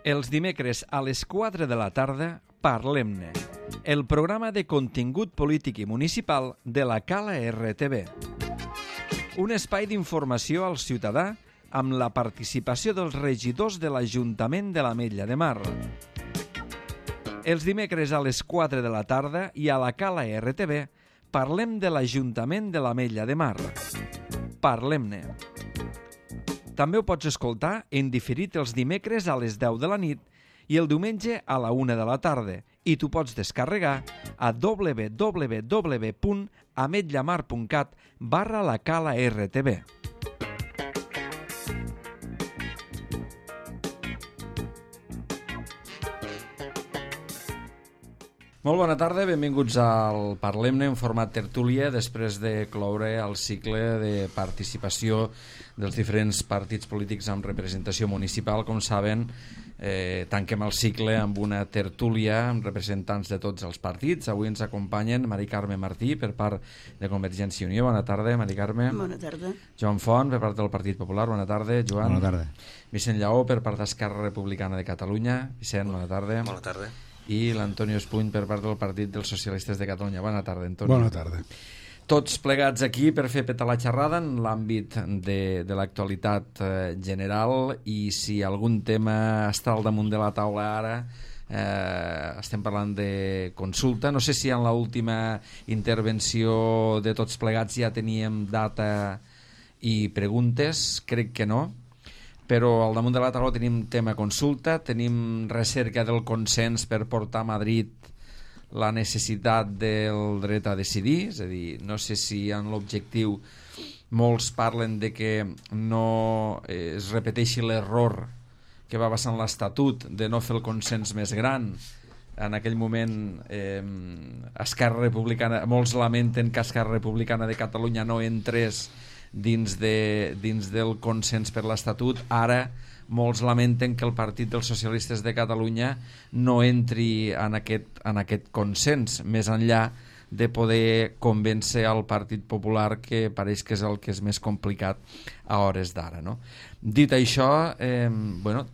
Els dimecres a les 4 de la tarda, Parlem-ne, el programa de contingut polític i municipal de la Cala RTV. Un espai d'informació al ciutadà amb la participació dels regidors de l'Ajuntament de l'Ametlla de Mar. Els dimecres a les 4 de la tarda i a la Cala RTV parlem de l'Ajuntament de l'Ametlla de Mar. Parlem-ne. També ho pots escoltar en diferit els dimecres a les 10 de la nit i el diumenge a la 1 de la tarda i t'ho pots descarregar a www.ametllamar.cat/la Cala RTV. Molt bona tarda, benvinguts al Parlem-ne en format tertúlia després de cloure el cicle de participació dels diferents partits polítics amb representació municipal. Com saben, tanquem el cicle amb una tertúlia amb representants de tots els partits. Avui ens acompanyen Mari Carme Martí per part de Convergència i Unió. Bona tarda, Mari Carme. Bona tarda. Joan Font per part del Partit Popular. Bona tarda, Joan. Bona tarda. Vicent Lleó per part d'Esquerra Republicana de Catalunya. Vicent, bona tarda. Bona tarda. I l'Antonio Espuny per part del Partit dels Socialistes de Catalunya. Bona tarda, Antonio. Bona tarda. Tots plegats aquí per fer petar la xerrada en l'àmbit de l'actualitat general, i si algun tema està al damunt de la taula ara, estem parlant de consulta. No sé si en l'última intervenció de tots plegats ja teníem data i preguntes, crec que no, però al damunt de la taula tenim tema consulta, tenim recerca del consens per portar a Madrid la necessitat del dret a decidir. És a dir, no sé si en l'objectiu molts parlen de que no es repeteixi l'error que va passar en l'Estatut de no fer el consens més gran. En aquell moment Esquerra Republicana, molts lamenten que Esquerra Republicana de Catalunya no entrés dins del consens per l'Estatut. Ara molts lamenten que el Partit dels Socialistes de Catalunya no entri en aquest consens, més enllà de poder convèncer al Partit Popular, que pareix que és el que és més complicat a hores d'ara, no? Dit això,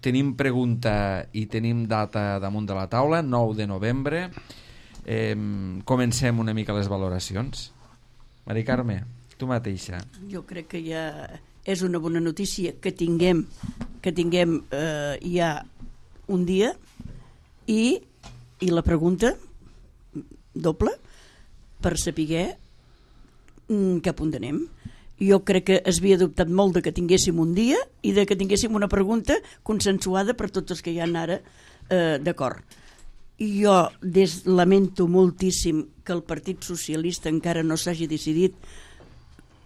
tenim pregunta i tenim data damunt de la taula, 9 de novembre. Comencem una mica les valoracions. Mari Carme, tu mateixa. Jo crec que ja és una bona notícia que tinguem ja un dia i la pregunta doble per saber cap on anem. Jo crec que es havia dubtat molt de que tinguéssim un dia i de que tinguéssim una pregunta consensuada per tots els que hi ha ara d'acord. Jo lamento moltíssim que el Partit Socialista encara no s'hagi decidit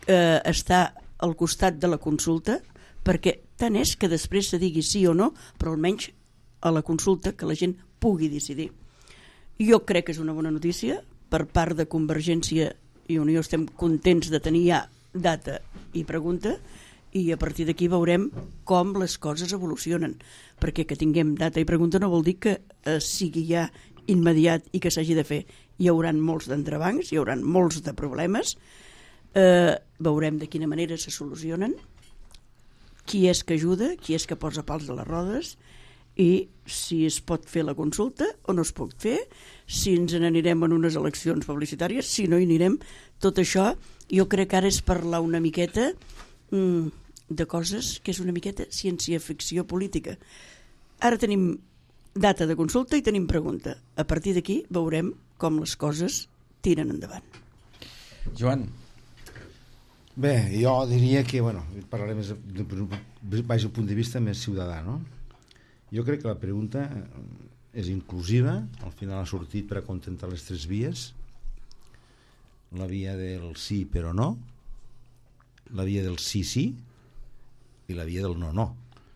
estar al costat de la consulta, perquè tant és que després se digui sí o no, però almenys a la consulta que la gent pugui decidir. Jo crec que és una bona notícia. Per part de Convergència i Unió estem contents de tenir ja data i pregunta, i a partir d'aquí veurem com les coses evolucionen, perquè que tinguem data i pregunta no vol dir que sigui ja immediat i que s'hagi de fer. Hi haurà molts d'entrebancs, hi haurà molts de problemes. Veurem de quina manera se solucionen, qui és que ajuda, qui és que posa pals a les rodes, i si es pot fer la consulta o no es pot fer, si ens n'anirem en unes eleccions publicitàries, si no hi anirem. Tot això jo crec que ara és parlar una miqueta de coses que és una miqueta ciència-ficció política. Ara tenim data de consulta i tenim pregunta. A partir d'aquí veurem com les coses tiren endavant. Joan. Bé, jo diria que, parlaré més baix el punt de vista més ciutadà, no? Jo crec que la pregunta és inclusiva, al final ha sortit per acontentar les tres vies: la via del sí però no, la via del sí sí i la via del no no.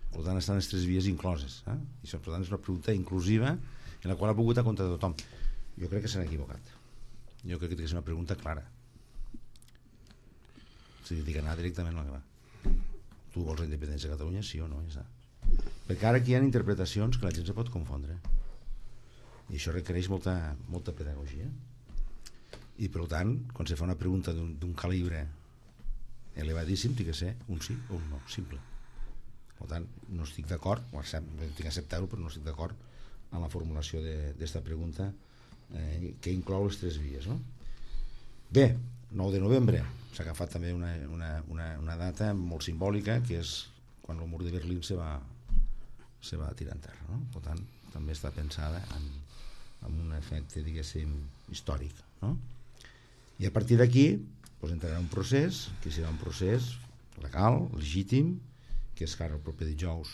Per tant, estan les tres vies incloses, I això, per tant, és una pregunta inclusiva en la qual ha pogut acontentar tothom. Jo crec que s'han equivocat. Jo crec que és una pregunta clara. Si dic anar directament al gra. Tu vols la independència de Catalunya, sí o no? Ja. Perquè ara aquí hi ha interpretacions que la gent se pot confondre, i això requereix molta pedagogia, i per tant, quan se fa una pregunta d'un calibre elevadíssim, té que ser un sí o un no, simple. Per tant, no estic d'acord, tinc que acceptar-ho, però no estic d'acord amb la formulació d'esta pregunta que inclou les 3 vies, no? Bé, 9 de novembre s'ha agafat també una data molt simbòlica, que és quan el mur de Berlín se va tirar en terra, no? Per tant, també està pensada amb un efecte, diguéssim, històric, no? I a partir d'aquí entrarà un procés que serà un procés legal, legítim, que és que ara el proper dijous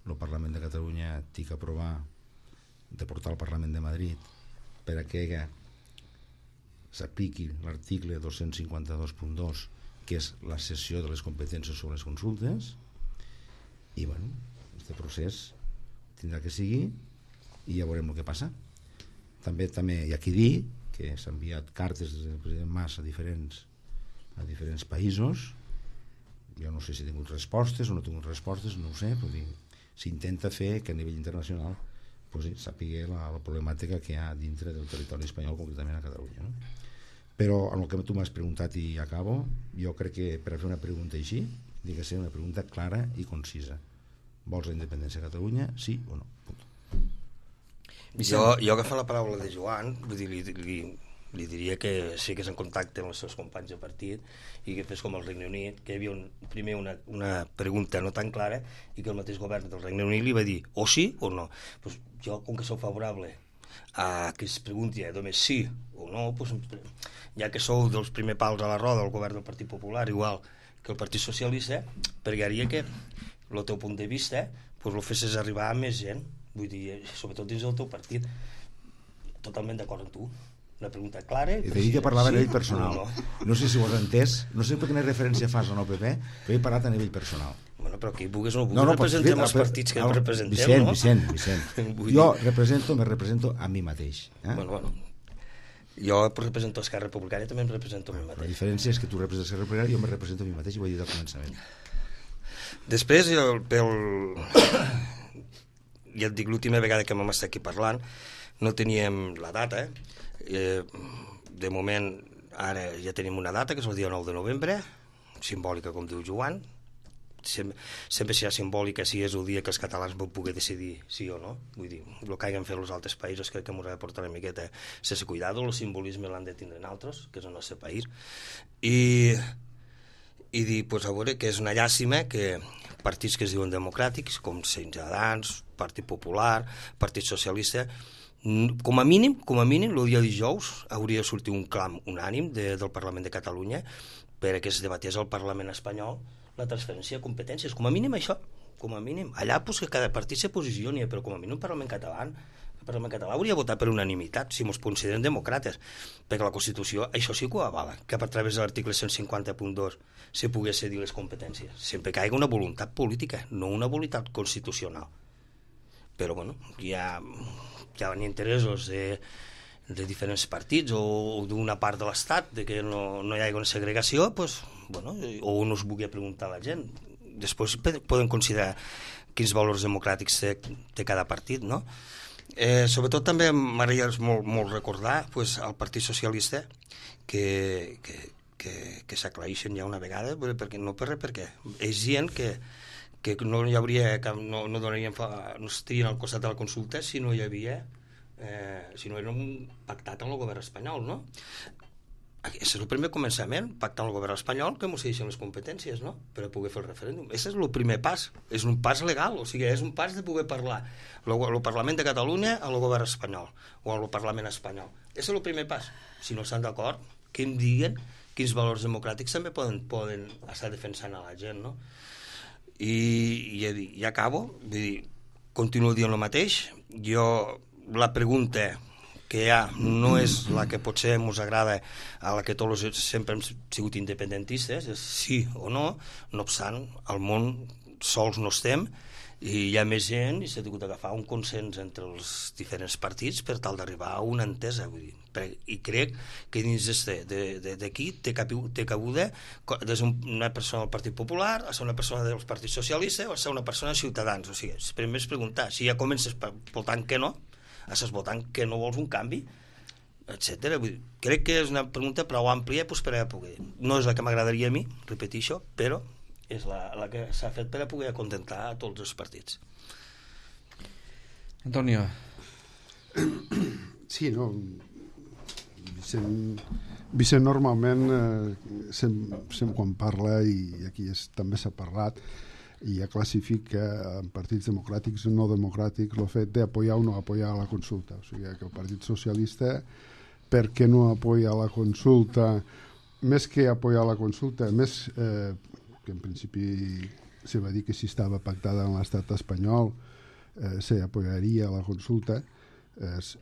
el Parlament de Catalunya té que aprovar de portar al Parlament de Madrid per a que s'apliqui l'article 252.2, que és la cessió de les competències sobre les consultes. I bueno, aquest procés tindrà que seguir i ja veurem el que passa. També hi ha qui dir que s'han enviat cartes del president Mas a diferents països. Jo no sé si he tingut respostes o no he tingut respostes, no ho sé, però s'intenta fer que a nivell internacional sàpiga la problemàtica que hi ha dintre del territori espanyol, concretament a Catalunya, no? Però en el que tu m'has preguntat i acabo, jo crec que per a fer una pregunta així ha de ser una pregunta clara i concisa. Vols la independència de Catalunya, sí o no? Jo agafant la paraula de Joan, vull dir, li diria que sí que és en contacte amb els seus companys de partit i que fes com el Regne Unit, que hi havia primer una pregunta no tan clara i que el mateix govern del Regne Unit li va dir o sí o no. Pues jo, com que sou favorable a que es pregunti només sí o no, pues, ja que sou dels primers pals a la roda del govern del Partit Popular, igual que el Partit Socialista, pregaria que el teu punt de vista pues, lo fessis arribar a més gent, vull dir, sobretot dins del teu partit. Totalment d'acord amb tu. Una pregunta clara. I t'he dit que parlava a nivell personal. No sé si ho has entès, no sé per quina referència fas a l'OPP, però he parlat a nivell personal. Bueno, però qui vulguis o no vulguis representem els partits que representem, no? Vicent. Jo me represento a mi mateix. Bueno. Jo represento Esquerra Republicana i també em represento a mi mateix. La diferència és que tu representes Esquerra Republicana i jo me represento a mi mateix i ho he dit al començament. Després, ja et dic, l'última vegada que vam estar aquí parlant no teníem la data, de moment ara ja tenim una data que és el dia 9 de novembre, simbòlica com diu Joan. Sempre serà simbòlica si és el dia que els catalans vau poder decidir sí o no. Vull dir, el que hagin fet els altres països crec que ens ha de portar una miqueta sense cuidado, el simbolisme l'han de tindre altres, que és el nostre país, i dir, pues, a veure, que és una llàstima que partits que es diuen democràtics com Ciutadans, Partit Popular, Partit Socialista, com a mínim, el dia dijous hauria de sortir un clam unànim del Parlament de Catalunya perquè es debatés al Parlament espanyol la transferència de competències, com a mínim això, com a mínim. Allà pues, que cada partit se posicioni, però com a mínim el Parlament català hauria de votar per unanimitat, si ens consideren demòcrates, perquè la Constitució això sí que ho avala, que a través de l'article 150.2 se pogués cedir les competències, sempre que hi hagi una voluntat política, no una voluntat constitucional. Però bueno, hi ha interessos de diferents partits o d'una part de l'Estat de que no hi hagi una segregació, pues, bueno, o no es vulgui preguntar a la gent. Després poden considerar quins valors democràtics té cada partit, no? Sobretot també m'agradaria molt recordar pues, al Partit Socialista que s'aclareixen ja una vegada, perquè és gent que no hi hauria no estarien al costat de la consulta si no hi havia si no era pactat amb el govern espanyol, no? Aquest és el primer començament, pactar amb el govern espanyol que ens deixen les competències, no? Per a poder fer el referèndum. Aquest és el primer pas, és un pas legal, o sigui, és un pas de poder parlar el Parlament de Catalunya al govern espanyol o al Parlament espanyol. Aquest és el primer pas. Si no estan d'acord, que em diguen quins valors democràtics també poden estar defensant a la gent, no? I acabo, vull dir, continuo dient el mateix. La pregunta que hi ha no és la que potser ens agrada, a la que tots sempre hem sigut independentistes, és sí o no. No obstant, al món sols no estem i hi ha més gent i s'ha hagut d'agafar un consens entre els diferents partits per tal d'arribar a una entesa, vull dir. I crec que dins d'aquí té cabuda des d'una persona del Partit Popular a ser una persona del Partit Socialista o a ser una persona de Ciutadans. O sigui, primer és preguntar, si ja comences votant que no, estàs votant que no vols un canvi, etc. Crec que és una pregunta prou àmplia pues, per a poder. No és la que m'agradaria a mi, repeteixo, però és la que s'ha fet per a poder acontentar a tots els partits. Antonio. Sí, no, Vicent normalment quan parla, i aquí també s'ha parlat, i ja classifica en partits democràtics o no democràtics el fet d'apoyar o no apoyar la consulta. O sigui que el Partit Socialista, per què no apoya la consulta? Més que apoyar la consulta, més que en principi se va dir que si estava pactada en l'estat espanyol se apoyaria la consulta.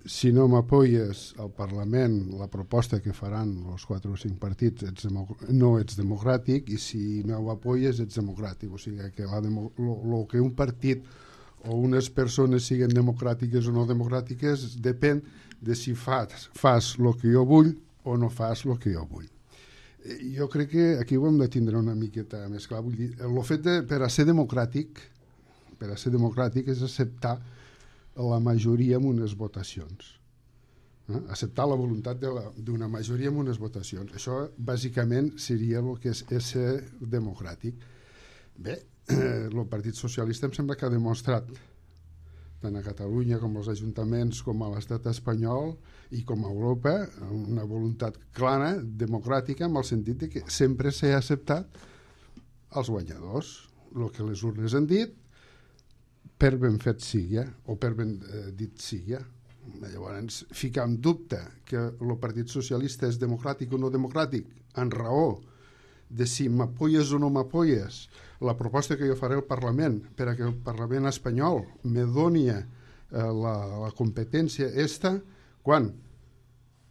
Si no m'apoyes al Parlament la proposta que faran els 4 o 5 partits no ets democràtic, i si no ho apoyes ets democràtic. O sigui que el que un partit o unes persones siguin democràtiques o no democràtiques depèn de si fas el que jo vull o no fas el que jo vull. Jo crec que aquí ho hem de tindre una miqueta més clar. Vull dir, el fet per a ser democràtic és acceptar la majoria en unes votacions. Acceptar la voluntat d'una majoria en unes votacions. Això, bàsicament, seria el que és ser democràtic. Bé, el Partit Socialista em sembla que ha demostrat, tant a Catalunya com als ajuntaments com a l'estat espanyol i com a Europa, una voluntat clara, democràtica, en el sentit de que sempre s'ha acceptat els guanyadors. El que les urnes han dit, per ben fet sigui, o per ben dit sigui. Llavors, ficar en dubte que el Partit Socialista és democràtic o no democràtic, en raó de si m'apoyes o no m'apoyes la proposta que jo faré al Parlament per a que el Parlament espanyol me doni la competència quan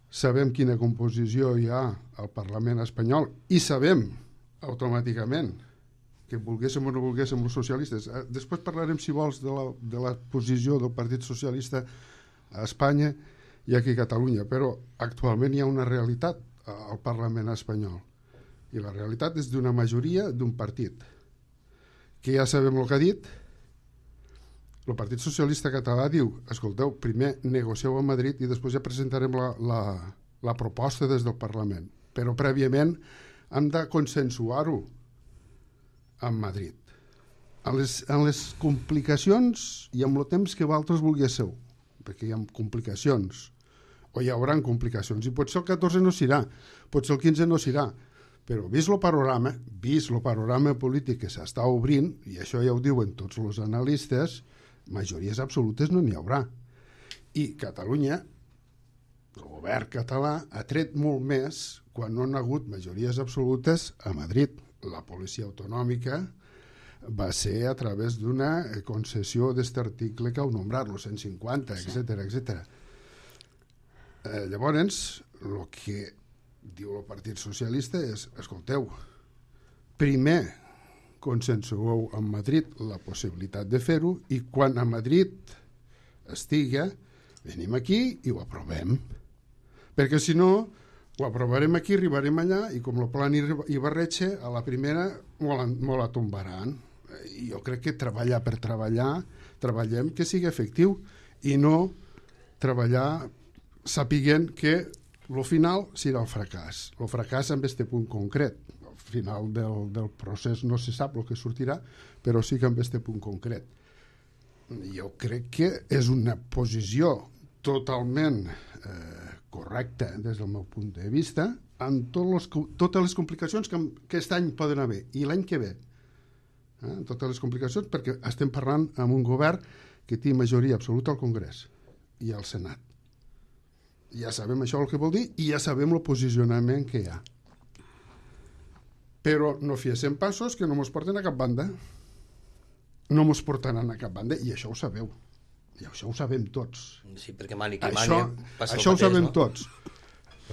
sabem quina composició hi ha al Parlament espanyol i sabem automàticament que volguéssim o no volguéssim els socialistes. Després parlarem, si vols, de la posició del Partit Socialista a Espanya i aquí a Catalunya, però actualment hi ha una realitat al Parlament espanyol, i la realitat és d'una majoria d'un partit, que ja sabem el que ha dit. El Partit Socialista català diu, escolteu, primer negocieu a Madrid i després ja presentarem la proposta des del Parlament, però prèviament hem de consensuar-ho amb Madrid. En les complicacions i amb el temps que vosaltres volguéssiu, perquè hi ha complicacions, o hi haurà complicacions, i potser el 14 no s'irà, potser el 15 no s'irà, però vist el panorama polític que s'està obrint, i això ja ho diuen tots els analistes, majories absolutes no n'hi haurà. I Catalunya, el govern català, ha tret molt més quan no han hagut majories absolutes a Madrid. La policia autonòmica va ser a través d'una concessió d'aquest article que heu nombrat, el 150, etc. Llavors, el que diu el Partit Socialista és, escolteu, primer consensueu amb Madrid la possibilitat de fer-ho i quan a Madrid estigui, venim aquí i ho aprovem. Perquè si no, ho aprovarem aquí, arribarem allà i com el plan Ibarretxe, a la primera me la tombaran. I jo crec que treballar per treballar, treballem que sigui efectiu i no treballar sapiguent que el final serà el fracàs. El fracàs en aquest punt concret. Al final del procés no se sap el que sortirà, però sí que en aquest punt concret. Jo crec que és una posició totalment correcta des del meu punt de vista, amb totes les complicacions que aquest any poden haver, i l'any que ve. Totes les complicacions, perquè estem parlant amb un govern que té majoria absoluta al Congrés i al Senat. Ja sabem això el que vol dir i ja sabem el posicionament que hi ha. Però no fiessin passos que no ens porten a cap banda. No ens portaran a cap banda, i això ho sabeu. I això ho sabem tots. Sí, perquè mani que mani passa això ho sabem tots.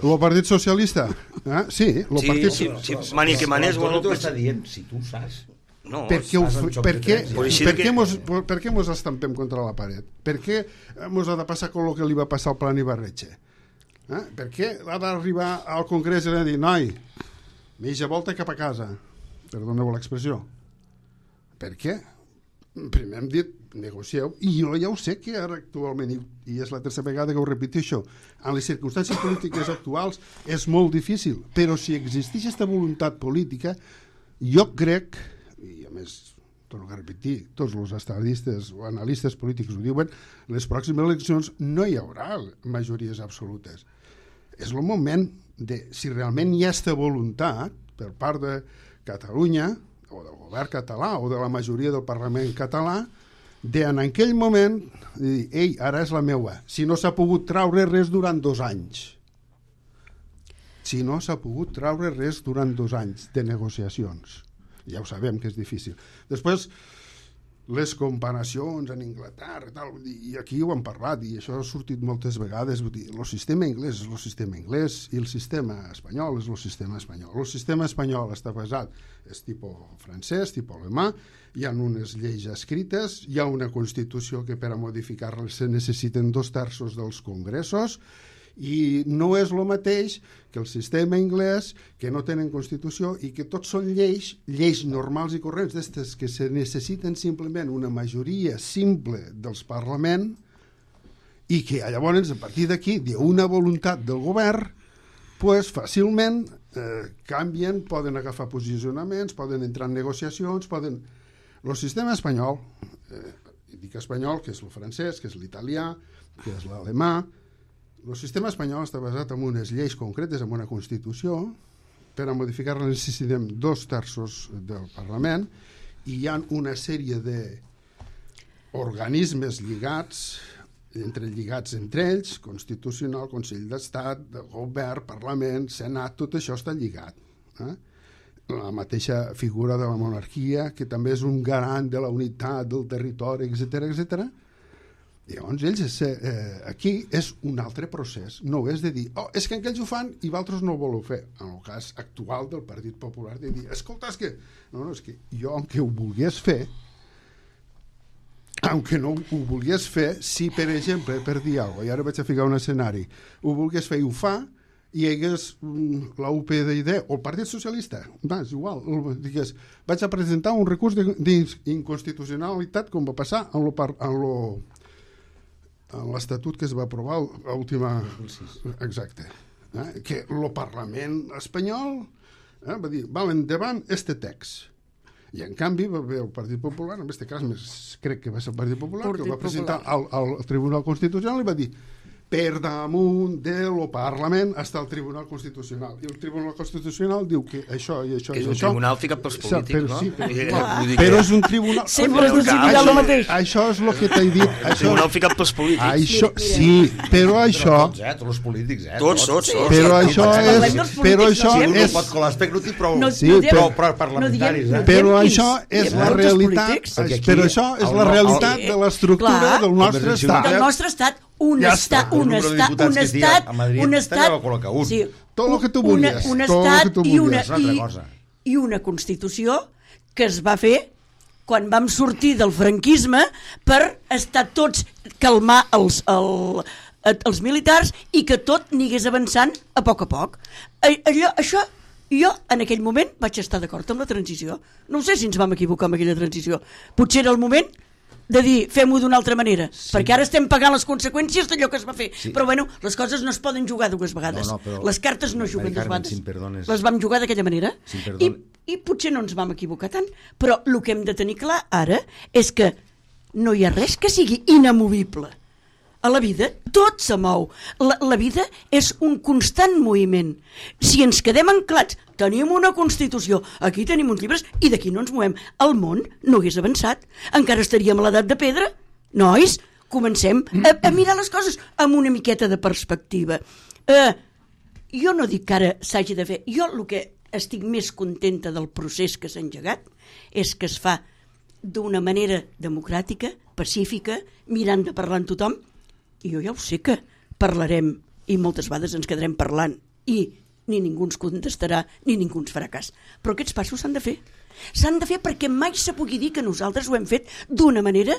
El Partit Socialista? Sí, el Partit Socialista. Sí, mani que mani és... Tu ho està dient, si tu ho saps. No, per què mos estampem contra la paret? Per què mos ha de passar com el que li va passar al plan Ibarretxe? Per què ha d'arribar al Congrés i dir, noi, mitja volta cap a casa? Perdoneu l'expressió. Per què? Primer hem dit, negocieu, i jo ja ho sé que ara actualment, i és la tercera vegada que ho repeteixo, en les circumstàncies polítiques actuals és molt difícil, però si existeix aquesta voluntat política, jo crec, més, torno a repetir, tots els estadistes o analistes polítics ho diuen, les pròximes eleccions no hi haurà majories absolutes. És el moment de, si realment hi ha aquesta voluntat per part de Catalunya o del govern català o de la majoria del Parlament català, en aquell moment dir, ei, ara és la meua, si no s'ha pogut traure res durant 2 anys. Si no s'ha pogut traure res durant 2 anys de negociacions. Ja ho sabem que és difícil. Després, les comparacions en Anglaterra i aquí ho hem parlat i això ha sortit moltes vegades, el sistema anglès és el sistema anglès i el sistema espanyol és el sistema espanyol. El sistema espanyol està basat, és tipus francès, tipus alemà, hi ha unes lleis escrites, hi ha una Constitució que per a modificar-la se necessiten 2/3 dels congressos i no és el mateix que el sistema anglès, que no tenen Constitució i que tots són lleis normals i corrents d'estes que se necessiten simplement una majoria simple dels Parlament i que llavors a partir d'aquí d'una voluntat del govern pues, fàcilment canvien, poden agafar posicionaments, poden entrar en negociacions, poden... El sistema espanyol, dic espanyol, que és el francès, que és l'italià, que és l'alemà. El sistema espanyol està basat en unes lleis concretes, en una Constitució. Per a modificar-la necessitem 2/3 del Parlament i hi ha una sèrie d'organismes lligats entre ells, Constitucional, Consell d'Estat, Govern, Parlament, Senat, tot això està lligat. La mateixa figura de la monarquia, que també és un garant de la unitat del territori, etc. Llavors, ells, aquí és un altre procés. No és de dir, és que aquells ho fan i vosaltres no ho voleu fer. En el cas actual del Partit Popular, de dir, escolta, és que... No, és que jo, aunque ho volgués fer, si, per exemple, per dir alguna cosa, i ara vaig a ficar un escenari, ho volgués fer i ho fa, i hi hagués la UPyD o el Partit Socialista, és igual, digués, vaig a presentar un recurs d'inconstitucionalitat com va passar en l'Estatut que es va aprovar l'última... Exacte. Que el Parlament espanyol va dir, endavant este text. I en canvi va haver el Partit Popular, en aquest cas crec que va ser el Partit Popular, que el va presentar al Tribunal Constitucional i va dir per damunt del Parlament està el Tribunal Constitucional. I el Tribunal Constitucional diu que això i això i això... És un tribunal ficat pels polítics, no? Però és un tribunal... Sempre és decidirà el mateix. Això és el que t'he dit. Un tribunal ficat pels polítics. Sí, però això... Tots els polítics, Tots. Però això és... No pot colar l'aspecte, no té prou parlamentaris. Però això és la realitat. Però això és la realitat de l'estructura del nostre estat. Del nostre estat. Un estat, tot el que tu volies, i una Constitució que es va fer quan vam sortir del franquisme per estar tots, calmar els militars i que tot anés avançant a poc. Això, jo en aquell moment vaig estar d'acord amb la transició. No sé si ens vam equivocar amb aquella transició. Potser era el moment de dir, fem-ho d'una altra manera, perquè ara estem pagant les conseqüències d'allò que es va fer. Però bueno, les coses no es poden jugar 2 vegades. Les cartes no juguen 2 vegades. Les vam jugar d'aquella manera. I potser no ens vam equivocar tant, però el que hem de tenir clar ara és que no hi ha res que sigui inamovible. A la vida tot se mou. La vida és un constant moviment. Si ens quedem anclats, tenim una Constitució, aquí tenim uns llibres i d'aquí no ens movem. El món no hagués avançat. Encara estaríem a l'edat de pedra. Nois, comencem a mirar les coses amb una miqueta de perspectiva. Jo no dic que ara s'hagi de fer. Jo el que estic més contenta del procés que s'ha engegat és que es fa d'una manera democràtica, pacífica, mirant de parlar amb tothom. I jo ja ho sé que parlarem i moltes vegades ens quedarem parlant i ni ningú ens contestarà ni ningú ens farà cas. Però aquests passos s'han de fer. S'han de fer perquè mai se pugui dir que nosaltres ho hem fet d'una manera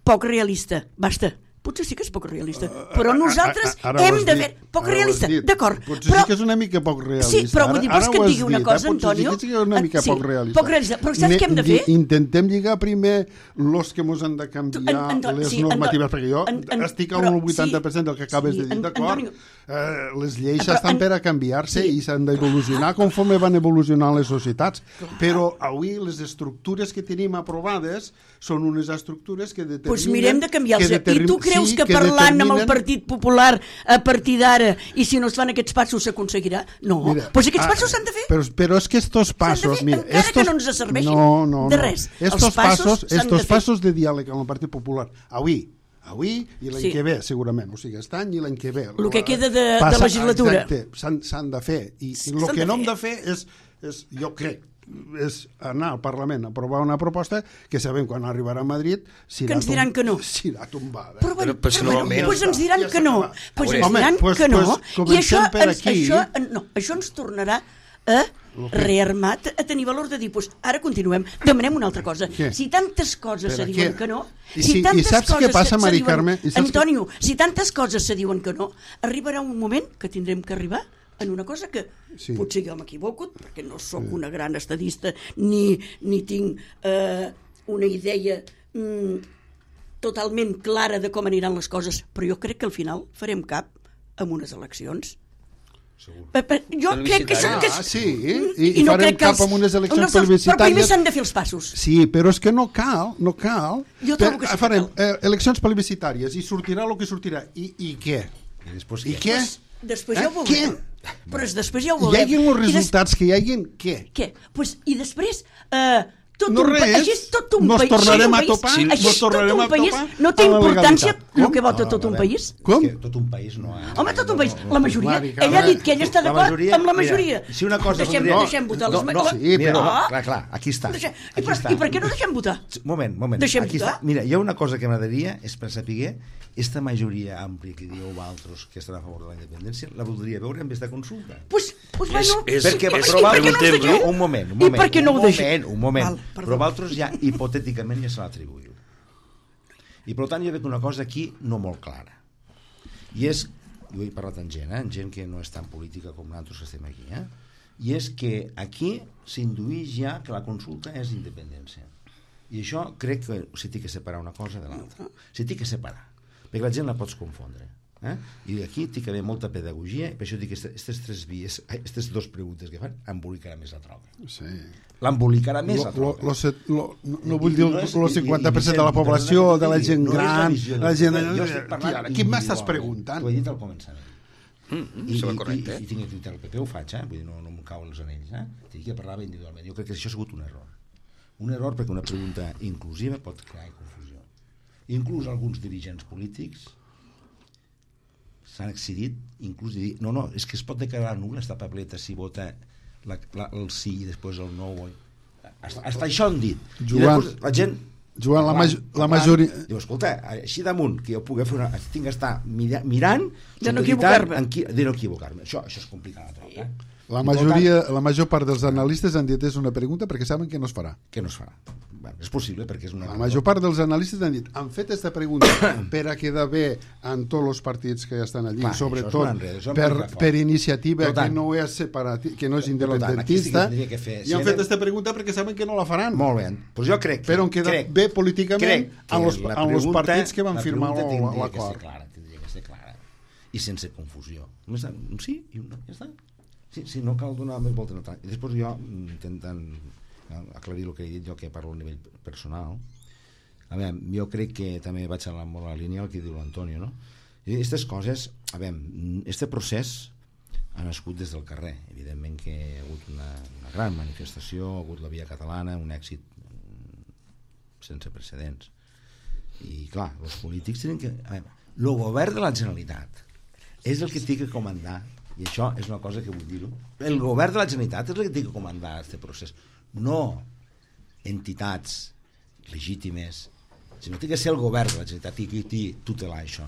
poc realista. Basta, potser sí que és poc realista, però nosaltres Ara ho hem has de dit, fer... Poc ara ho has realista, dit. d'acord. Potser sí que és una mica poc realista. Sí, però vull dir, vols que et digui una cosa, Potser Antonio? sí que és una mica Sí, poc realista. poc realista. Però saps què hem de fer? Intentem lligar primer los que mos han de canviar les normatives, perquè jo estic al 80% del que acabes de dir, d'acord? Les lleis estan per a canviar-se i s'han d'evolucionar conforme van evolucionant les societats. Però avui les estructures que tenim aprovades són unes estructures que determinen... Doncs mirem de canviar-los. I tu creus que parlant amb el Partit Popular a partir d'ara, i si no es fan aquests passos s'aconseguirà? No, doncs aquests passos s'han de fer. Però és que estos passos... Encara que no ens serveixin de res. Estos passos de diàleg amb el Partit Popular, avui i l'any que ve, segurament. O sigui, aquest any i l'any que ve. El que queda de legislatura. Exacte, s'han de fer. I el que no hem de fer és, jo crec, és anar al Parlament a aprovar una proposta que sabem quan arribarà a Madrid que ens diran que no. Serà tombada. Però ens diran que no. Doncs ens diran que no. I això ens tornarà a rearmat, a tenir valor de dir, doncs ara continuem, demanem una altra cosa. Si tantes coses se diuen que no, si tantes coses se diuen... Antonio, si tantes coses se diuen que no, arribarà un moment que tindrem que arribar en una cosa que potser jo m'equivoco, perquè no sóc una gran estadista ni tinc una idea totalment clara de com aniran les coses, però jo crec que al final farem cap amb unes eleccions. Jo crec que sí, i no farem cap amb unes eleccions plebiscitàries, però primer s'han de fer els passos. Sí, però és que no cal jo trobo que sí, farem eleccions plebiscitàries i sortirà el que sortirà i què? I què? Després ja ho veurem. Però després ja ho veurem. Hi hagin els resultats que hi hagin, què? I després tot no un res, nos tornarem a topar, no té importància el que vota tot un país? Com? Tot un país no. Home, tot un país, la majoria. Ell ha dit que ell està d'acord amb la majoria. Si una cosa... Deixem votar les majories. Clar, aquí està. I per què no deixem votar? Moment, aquí està. Mira, hi ha una cosa que m'agradaria, és per saber, esta majoria àmplia que dieu vosaltres que estan a favor de la independència, la voldria veure en vez de consulta. Un moment. Un moment. Però vosaltres ja hipotèticament ja se l'atribuïu. I per tant jo veig una cosa aquí no molt clara. I és, jo he parlat amb gent que no és tan política com nosaltres que estem aquí, i és que aquí s'induïx ja que la consulta és independència. I això crec que s'ha de separar una cosa de l'altra. S'ha de separar, perquè la gent la pots confondre. I aquí té que haver molta pedagogia, i per això dic que aquestes tres vies, aquestes dues preguntes que fan, embolicarà més la troca. Sí. L'embolicarà més la troca. No vull dir el 50% de la població, de la gent gran, la gent... Qui m'estàs preguntant? T'ho he dit al començament. I tinc que el PP ho faig, vull dir, no em cauen els anells. Tinc que parlar individualment. Jo crec que això ha sigut un error. Un error perquè una pregunta inclusiva pot crear confusió. Inclús alguns dirigents polítics s'han excedit, inclús de dir, no, és que es pot declarar nul esta papeleta si vota el sí i després el no. Hasta això han dit. Joan, la gent... Joan, la majoria... Diu, escolta, així damunt, que jo pugui fer tinc d'estar mirant de no equivocar-me. Això és complicat. La major part dels analistes han dit és una pregunta perquè saben que no es farà. Que no es farà. És possible perquè és una... La major part dels analistes han dit han fet aquesta pregunta per a quedar bé en tots els partits que estan allí, sobretot per iniciativa que no és que no és independentista, i han fet aquesta pregunta perquè saben que no la faran. Molt bé, doncs jo crec però han quedat bé políticament en els partits que van firmar l'acord. Tindria que ser clara i sense confusió. Un sí i un no, ja està. Si no cal donar més volta no. I després jo intentant aclarir el que he dit jo, que parlo a nivell personal, jo crec que també vaig a la línia el que diu l'Antonio, no? I aquestes coses, este procés ha nascut des del carrer. Evidentment que hi ha hagut una gran manifestació, ha hagut la Via Catalana, un èxit sense precedents. I clar, els polítics tenen que... El govern de la Generalitat és el que té que comandar, i això és una cosa que vull dir-ho, el govern de la Generalitat és el que té que comandar aquest procés, no entitats legítimes, sinó que té que ser el govern de la Generalitat i qui tutelar això.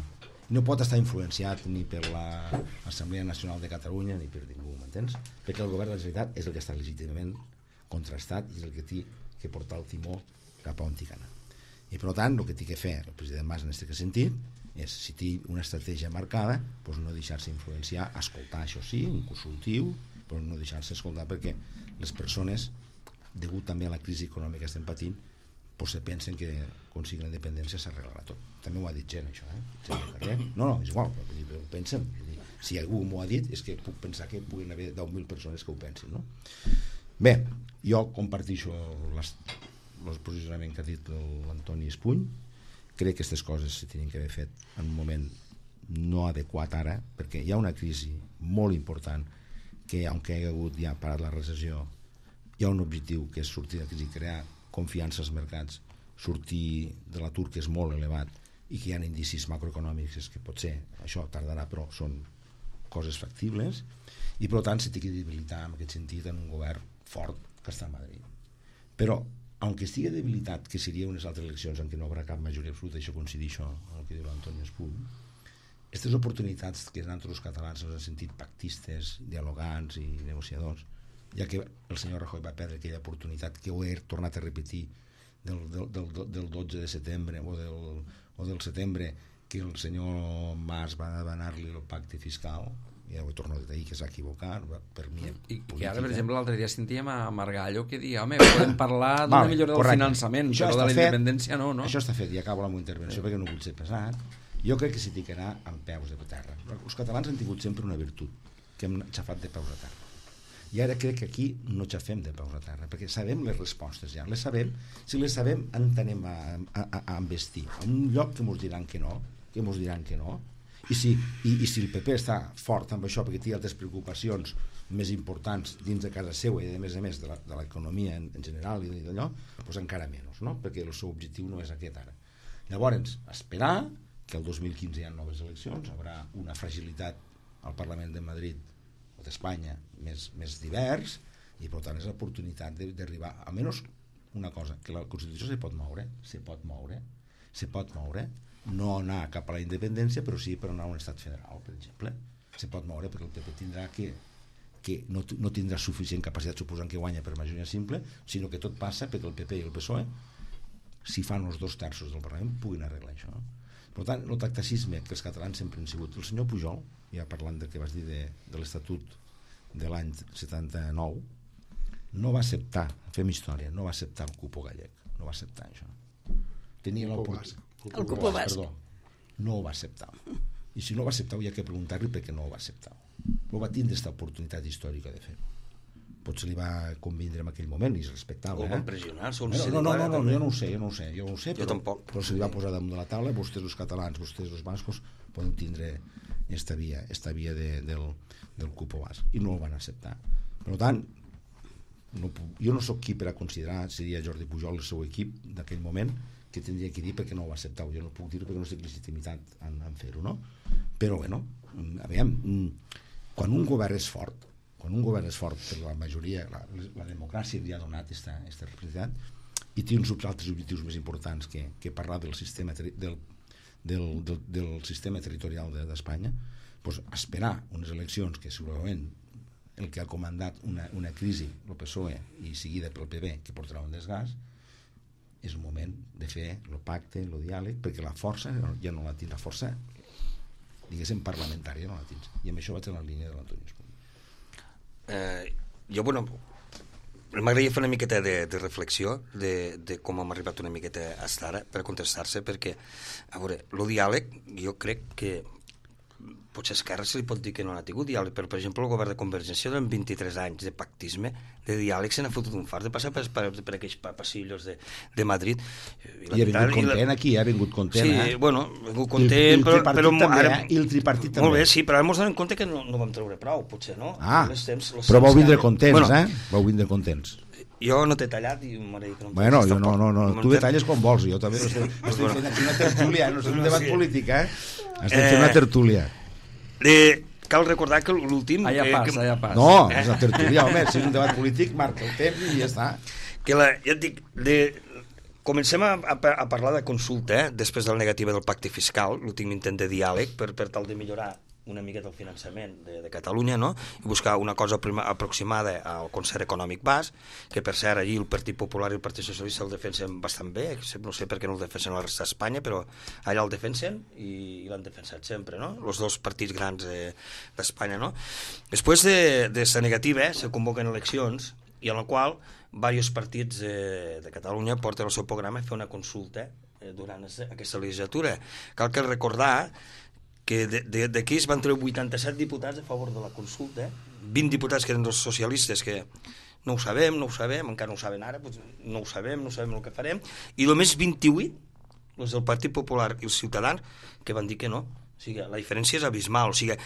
No pot estar influenciat ni per l'Assemblea Nacional de Catalunya ni per ningú, m'entens? Perquè el govern de la Generalitat és el que està legítimament contrastat i és el que té que portar el timó cap a on té que anar. I per tant, el que té que fer el president Mas en aquest sentit és, si té una estratègia marcada, doncs no deixar-se influenciar, escoltar, això sí, un consultiu, però no deixar-se escoltar, perquè les persones, degut també a la crisi econòmica que estem patint, doncs se pensen que aconseguir la independència s'arreglarà tot. També m'ho ha dit gent, això, No, és igual, ho pensen. Si algú m'ho ha dit, és que puc pensar que puguin haver 10.000 persones que ho pensin, no? Bé, jo comparteixo el posicionament que ha dit l'Antoni Espuny. Crec que aquestes coses se tenien que haver fet en un moment no adequat ara, perquè hi ha una crisi molt important que, aunque hi ha hagut ja parat la recessió, hi ha un objectiu que és sortir de la crisi, crear confiança als mercats, sortir de l'atur que és molt elevat i que hi ha indicis macroeconòmics que potser això tardarà, però són coses factibles, i per tant se té que debilitar en aquest sentit en un govern fort que està a Madrid. Però aunque estigui debilitat, que seria unes altres eleccions en què no hi haurà cap majoria absoluta, això coincideixo amb el que diu l'Antoni Espuny, aquestes oportunitats que nosaltres catalans ens hem sentit pactistes, dialogants i negociadors, ja que el senyor Rajoy va perdre aquella oportunitat que ho he tornat a repetir del 12 de setembre o del setembre, que el senyor Mas va demanar-li el pacte fiscal, ja ho he tornat a dir que es va equivocar per mi. I ara, per exemple, l'altre dia sentíem a Margallo que dia, home, podem parlar d'una millora del finançament, però de la independència no? Això està fet, i acabo la meva intervenció perquè no vull ser pesat. Jo crec que s'hi té que anar amb peus de terra. Els catalans han tingut sempre una virtut, que hem xafat de peus a terra. I ara crec que aquí no xafem de peus a terra, perquè sabem les respostes ja, les sabem. Si les sabem, anem a investir. En un lloc que ens diran que no, i si el PP està fort amb això perquè té altres preocupacions més importants dins de casa seva i a més de l'economia en general i d'allò, doncs encara menys, no? Perquè el seu objectiu no és aquest ara. Llavors, esperar que el 2015 hi ha noves eleccions, haurà una fragilitat al Parlament de Madrid o d'Espanya més divers, i per tant és l'oportunitat d'arribar a almenys una cosa, que la Constitució se pot moure, no anar cap a la independència, però sí per anar a un estat federal, per exemple. Se pot moure perquè el PP tindrà que no tindrà suficient capacitat, suposant que guanya per majoria simple, sinó que tot passa perquè el PP i el PSOE, si fan els 2/3 del Parlament, puguin arreglar això. Per tant, el tacticisme que els catalans sempre han sigut. El senyor Pujol, ja parlant del que vas dir de l'Estatut de l'any 79, no va acceptar, fem història, no va acceptar el cupo gallec, no va acceptar això. Tenia l'oportunitat. El cupo basc. Perdó, no ho va acceptar. I si no ho va acceptar, hi ha que preguntar-li per què no ho va acceptar. No va tindre aquesta oportunitat històrica de fer-ho. Potser li va convindre en aquell moment i es respectava. O van pressionar? No, jo no ho sé, però se li va posar damunt de la taula, vostès els catalans, vostès els bascos poden tindre esta via del cupo basc, i no el van acceptar. Per tant, jo no sóc qui per a considerar, seria Jordi Pujol el seu equip d'aquell moment, que tindria que dir perquè no ho va acceptar. Jo no puc dir perquè no sé legitimitat en fer-ho, no? Però bueno, aviam, quan un govern és fort per la majoria, la democràcia li ha donat aquesta responsabilitat i té uns altres objectius més importants que parlar del sistema del sistema territorial d'Espanya, doncs esperar unes eleccions que segurament el que ha comandat una crisi el PSOE i seguida pel PP que portarà un desgast, és un moment de fer el pacte, el diàleg, perquè la força ja no la tindrà, la força diguéssim parlamentària no la tindrà, i amb això vaig a la línia de l'Antoni Espuny. Jo, m'agradaria fer una miqueta de reflexió de com hem arribat una miqueta a estar ara per contestar-se, perquè, a veure, el diàleg, jo crec que potser a Esquerra se li pot dir que no ha tingut diàleg, però, per exemple, el govern de Convergència durant 23 anys de pactisme, de diàleg, se n'ha fotut un fart de passar per aquells passillos de Madrid. I ha vingut content aquí, ha vingut content. Sí, bueno, ha vingut content, però ara... I el tripartit també. Molt bé, sí, però ara ens donem compte que no vam treure prou, potser, no? Però vau vindre contents, Vau vindre contents. Jo no t'he tallat i m'agradaria que no em bueno, jo no. Tu detalles quan vols, jo també estem fent aquí una tertúlia, no és un debat polític, estem fent una tertúlia. Cal recordar que l'últim... Allà passa. No, és una tertúlia, home, si és un debat polític, marca el temps i ja està. Ja et dic, comencem a parlar de consulta, després de la negativa del pacte fiscal, l'últim intent de diàleg, per tal de millorar una miqueta el finançament de Catalunya, no? I buscar una cosa aproximada al concert econòmic basc, que per cert allí el Partit Popular i el Partit Socialista el defensen bastant bé, no sé per què no el defensen a la resta d'Espanya, però allà el defensen i l'han defensat sempre, no? Els dos partits grans d'Espanya, no? Després d'esta negativa se convoquen eleccions i en la qual diversos partits de Catalunya porten el seu programa a fer una consulta durant aquesta legislatura. Cal que recordar que d'aquí es van treure 87 diputats a favor de la consulta, 20 diputats que eren els socialistes que no ho sabem, encara no ho saben ara, doncs no ho sabem el que farem, i només 28, els del Partit Popular i els Ciutadans, que van dir que no. O sigui, la diferència és abismal. O sigui,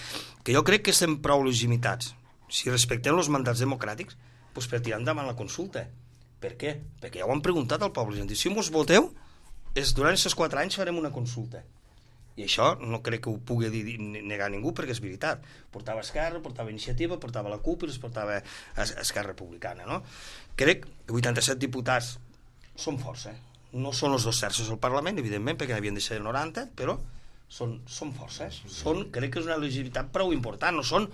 que jo crec que estem prou legitimitats. Si respectem els mandats democràtics, doncs per tirar endavant la consulta. Per què? Perquè ja ho han preguntat al poble. Si mos voteu, durant aquests 4 anys farem una consulta. I això no crec que ho pugui negar ningú, perquè és veritat. Portava Esquerra, portava Iniciativa, portava la CUP i les portava Esquerra Republicana, no? Crec que 87 diputats són força. No són els 2 terços del Parlament, evidentment, perquè n'havien de ser 90, però són forces. Crec que és una legitimitat prou important. No són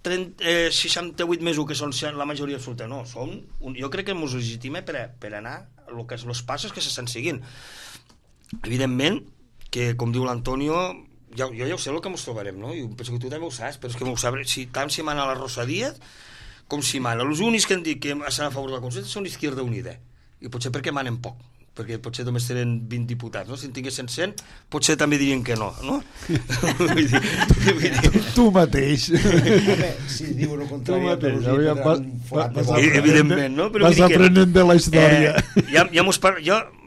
68 mesos que són la majoria absoluta, no. Jo crec que ens legitima per anar els passos que s'estan seguint. Evidentment, que, com diu l'Antonio, jo ja ho sé el que ens trobarem, no? Jo penso que tu també ho saps, però és que m'ho sabré, tant si mana la Rosa Díaz com si mana. Els únics que han dit que estan a favor de la consulta són Izquierda Unida, i potser perquè manen poc, perquè potser només tenen 20 diputats, no? Si en tinguessin 100, potser també dirien que no, no? Tu mateix. Si diuen el contrari, evidentment, no? Vas aprenent de la història.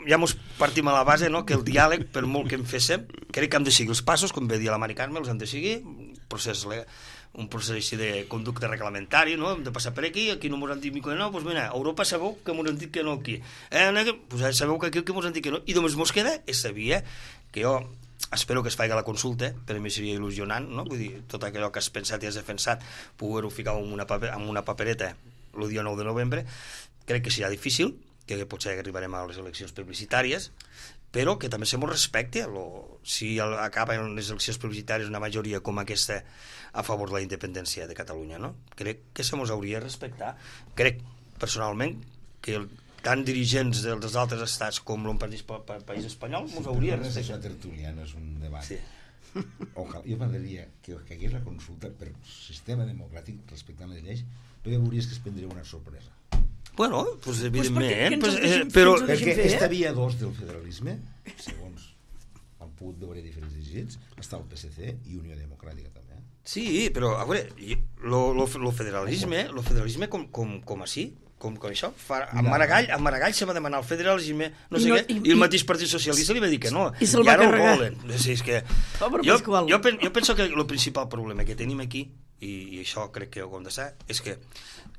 Ja mos partim a la base, no? Que el diàleg, per molt que en féssim, crec que hem de seguir els passos, com ve dir la Mari Carme, els hem de seguir, un procés així de conducta reglamentari, no? Hem de passar per aquí no mos han dit que no, doncs mira, a Europa sabeu que mos han dit que no aquí. Doncs sabeu que aquí mos han dit que no, i només mos queda esta via, que jo espero que es faci la consulta, per a mi seria il·lusionant, no? Vull dir, tot allò que has pensat i has defensat, poder-ho ficar en una papereta el dia 9 de novembre, crec que serà difícil, que potser arribarem a les eleccions plebiscitàries, però que també se mos respecte si acaben les eleccions plebiscitàries una majoria com aquesta a favor de la independència de Catalunya, no? Crec que se mos hauria de respectar. Crec, personalment, que tant dirigents dels altres estats com el país espanyol mos hauria de respectar. Això tertúlia, no és un debat. Sí. Ojalà, jo m'agradaria que hagués la consulta per sistema democràtic respectant les lleis, però ja veuries que es prendria una sorpresa. Bueno, pues evidentment, però perquè esta via 2 del federalisme, segons han pogut veure diferents dirigents, està el PSC i Unió Democràtica també. Sí, però a veure, el federalisme com així, com això, a Maragall se va demanar el federalisme, no sé què, i el mateix Partit Socialista li va dir que no, i ara ho volen. Jo penso que el principal problema que tenim aquí, i això crec que ho hem de saber, és que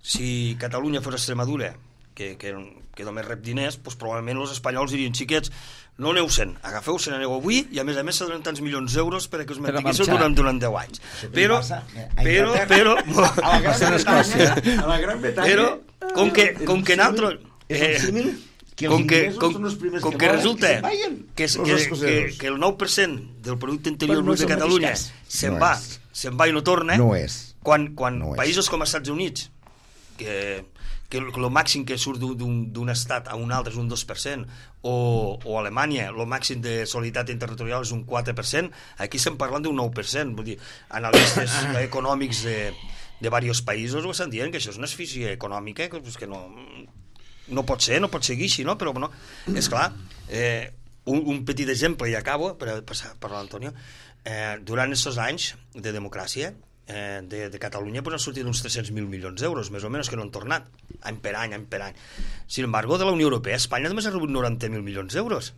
si Catalunya fos Extremadura, que només rep diners, doncs probablement els espanyols dirien, xiquets, no aneu-se'n, agafeu-se'n, aneu avui, i a més se donen tants milions d'euros perquè us mantinguéssiu durant 10 anys. Però a la Gran Bretanya, com que nosaltres... Com que resulta que el 9% del producte interior brut de Catalunya se'n va i no torna, quan països com els Estats Units, que el màxim que surt d'un estat a un altre és un 2%, o Alemanya, el màxim de solidaritat interterritorial és un 4%, aquí estem parlant d'un 9%. Vull dir, analistes econòmics de diversos països ho estan dient, que això és una asfíxia econòmica que no pot ser seguir així, no? Però, és clar, un petit exemple, i acabo, per passar per l'Antonio, durant aquests anys de democràcia, de Catalunya han sortit uns 300.000 milions d'euros, més o menys, que no han tornat, any per any. Sin embargo, de la Unió Europea, Espanya només ha rebut 90.000 milions d'euros.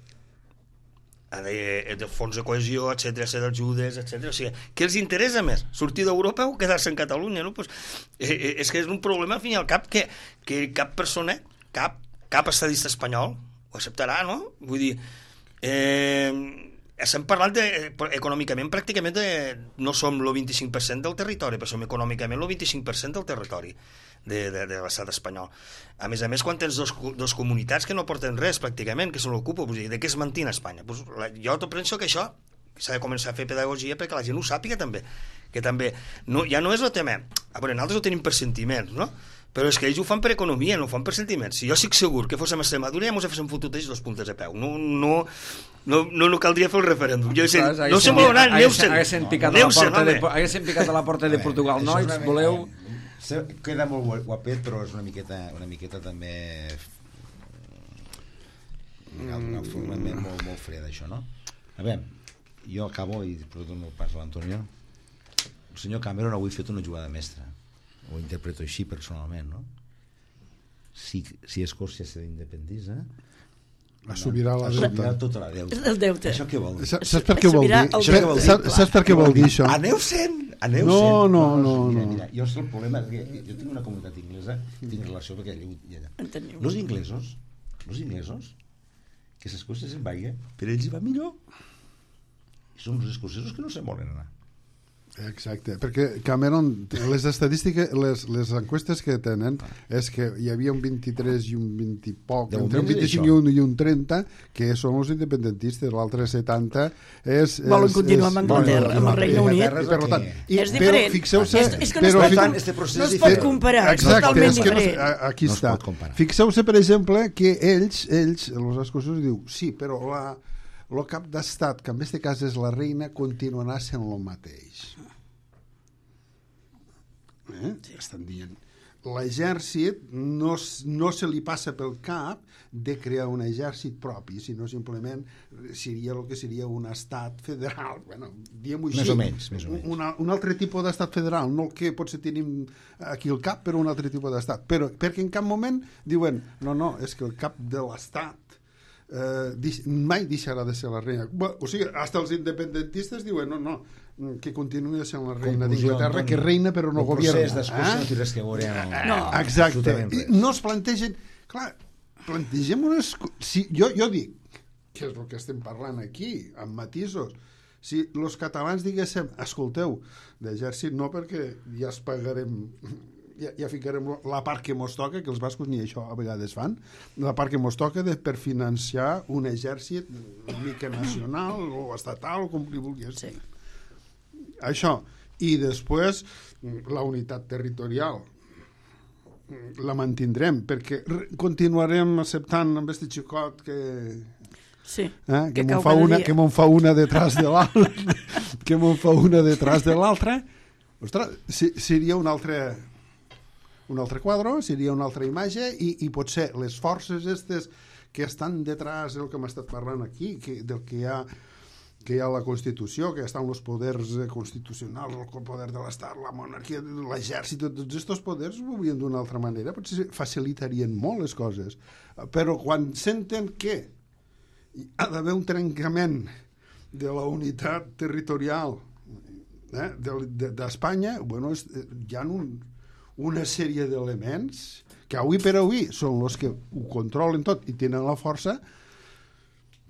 De fons de cohesió, etcètera, ajudes, etcètera. O sigui, què els interessa més? Sortir d'Europa o quedar-se en Catalunya? No? Pues, és que és un problema, al fin i al cap, que cap persona, cap estadista espanyol ho acceptarà, no? Vull dir, estem parlant econòmicament pràcticament no som el 25% del territori, però som econòmicament el 25% del territori de l'estat espanyol. A més, quan tens dos comunitats que no porten res pràcticament, que se l'ocupa, de què es mantina Espanya? Jo penso que això s'ha de començar a fer pedagogia perquè la gent ho sàpiga també, que també ja no és el tema, a veure, nosaltres ho tenim per sentiments, no? Però és que ells ho fan per economia, no ho fan per sentiments. Si jo estic segur que fóssim a Extremadura ja mos haguéssim fotut ells 2 puntes a peu. No caldria fer el referèndum. Jo sé, no sé molt on anar, haguessin picat a la porta de Portugal, nois, voleu... Queda molt guapet, però és una miqueta també molt fred, això, no? A veure, jo acabo i dono pas a l'Antonio. El senyor Cameron avui ha fet una jugada mestra, ho interpreto així personalment, no? Si Escòcia s'independitza, assumirà tota la deuta. El deute. Això què vol dir? Saps per què vol dir? Saps per què vol dir això? Aneu sent. No. Mira, jo sé el problema, jo tinc una comunitat inglesa, tinc relació perquè allà. Els inglesos, que s'Escòcia se'n vagi, per ells hi va millor. I són els escocesos que no se'n volen anar. Exacte, perquè Cameron, les estadístiques, les enquestes que tenen és que hi havia un 23 i un 20 i poc, entre un 25 i un 30 que són els independentistes, l'altre 70 és... Volen continuar amb Anglaterra, amb el Regne Unit. És diferent. Fixeu-se... És que no es pot comparar, és totalment diferent. Aquí està. Fixeu-se, per exemple, que ells, els escocesos, diu, sí, però el cap d'estat, que en aquest cas és la reina, continuarà sent el mateix. Estan dient. L'exèrcit no se li passa pel cap de crear un exèrcit propi, sinó simplement seria el que seria un estat federal. Bueno, diguem-ho així. Més o menys. Un altre tipus d'estat federal, no el que potser tenim aquí al cap, però un altre tipus d'estat. Però perquè en cap moment diuen, no, és que el cap de l'estat mai deixarà de ser la reina. O sigui, hasta els independentistes diuen no, que continuï sent la reina d'Inglaterra, que reina però no governa. El procés d'Escòcia no té res que veure amb... Exacte. No es plantegen... Clar, plantegem unes... Jo dic, que és el que estem parlant aquí, amb matisos. Si els catalans diguéssim, escolteu, d'exèrcit no, perquè ja es pagarem... Ja ficarem la part que mos toca, que els bascos ni això a vegades fan, la part que mos toca per financiar un exèrcit una mica nacional o estatal, com li vulguis dir. Això. I després la unitat territorial la mantindrem, perquè continuarem acceptant amb aquest xicot que... Sí, que me'n fa una detrás de l'altra, que me'n fa una detrás de l'altra. Ostres, seria un altre quadre, seria una altra imatge i potser les forces aquestes que estan detrás del que hem estat parlant aquí, del que hi ha la Constitució, que estan els poders constitucionals, el poder de l'Estat, la monarquia, l'exèrcit, tots aquests poders ho veurien d'una altra manera, potser facilitarien molt les coses. Però quan senten que ha d'haver un trencament de la unitat territorial d'Espanya, bueno, hi ha una sèrie d'elements que avui per avui són els que ho controlen tot i tenen la força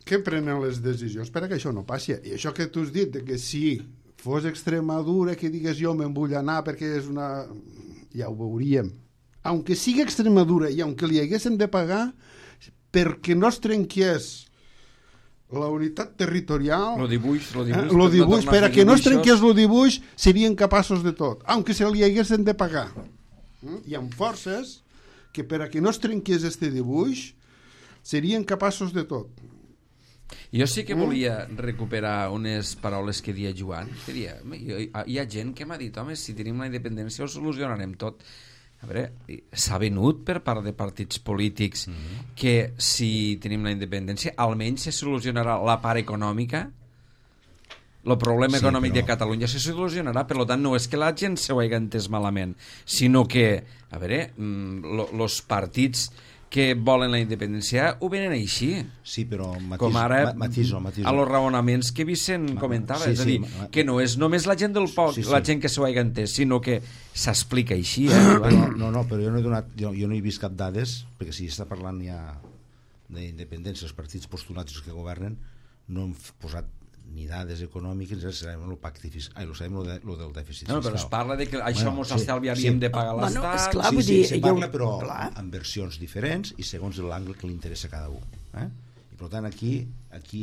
que prenen les decisions per a que això no passi. I això que tu has dit, que si fos Extremadura, que digues jo me'n vull anar perquè és una... Ja ho veuríem. Aunque sigui Extremadura i aunque li haguéssim de pagar perquè no es trenqués la unitat territorial, lo dibuix per a que no es trenqués el dibuix, serien capaços de tot, aunque se li haguessin de pagar. Hi ha forces que per a que no es trenqués este dibuix serien capaços de tot. Jo sí que volia recuperar unes paraules que deia Joan, que deia, hi ha gent que m'ha dit, home, si tenim la independència ho solucionarem tot. A veure, s'ha venut per part de partits polítics que si tenim la independència almenys se solucionarà la part econòmica, el problema econòmic de Catalunya se solucionarà. Per tant, no és que la gent s'ho hagi entès malament, sinó que, a veure, els partits que volen la independència ho venen així. Sí, però com ara matiso. A los raonaments que Vicent comentava, és a dir, que no és només la gent del poc, la gent que s'ho hagi entès, sinó que s'explica així. No, però jo no he vist cap dades, perquè si està parlant ja d'independència, els partits postulats que governen no han posat ni dades econòmiques, sabem el pacte fiscal, sabem el del dèficit fiscal. No, però es parla de que això mos estalviaríem de pagar l'Estat. Esclar, sí, se parla, però amb versions diferents i segons l'angle que li interessa a cada un. I per tant aquí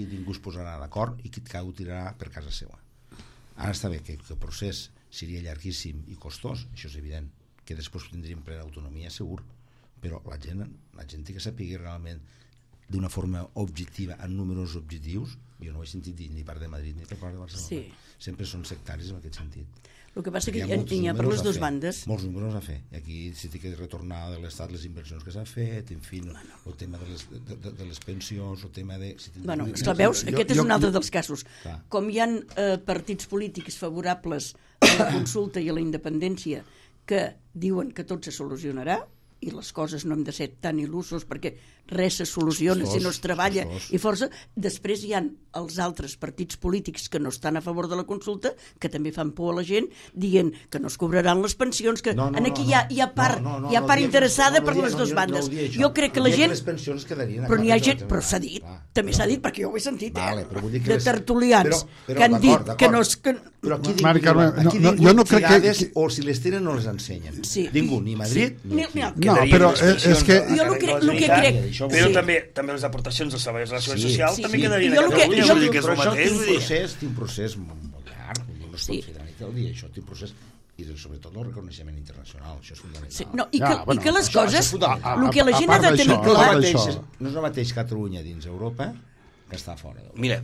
ningú es posarà d'acord i cadascú tirarà per casa seva. Ara està bé que el procés seria llarguíssim i costós, això és evident, que després tindríem plena autonomia segur, però la gent té que saber realment d'una forma objectiva, en números objectius. Jo no ho he sentit dir ni part de Madrid ni per part de Barcelona. Sí. Sempre són sectaris en aquest sentit. El que passa que hi ha per les dues bandes. Molts números a fer. I aquí s'ha de retornar de l'Estat les inversions que s'ha fet, en fi, el tema de les pensions, el tema de... Bueno, esclar, veus, aquest és un altre dels casos. Com hi ha partits polítics favorables a la consulta i a la independència que diuen que tot se solucionarà, i les coses no hem de ser tan il·lusos perquè res se soluciona si no es treballa i força. Després hi ha els altres partits polítics que no estan a favor de la consulta, que també fan por a la gent, dient que no es cobraran les pensions, que aquí hi ha part interessada per les dues bandes. Jo crec que la gent... Però n'hi ha gent... Però s'ha dit, també s'ha dit, perquè jo ho he sentit, de tertulians que han dit que no es... Però aquí jo no crec que... O si les tenen no les ensenyen. Ningú, ni Madrid ni aquí. No, però és que... Jo el que crec... Però també les aportacions dels treballadors de la Seguretat Social també quedarien a Catalunya. Però això té un procés molt llarg. No es pot fer de nit al dia. Això té un procés i sobretot el reconeixement internacional. Això és fundamental. I que les coses... El que la gent ha de tenir clar... No és el mateix Catalunya dins Europa que està fora. Mira,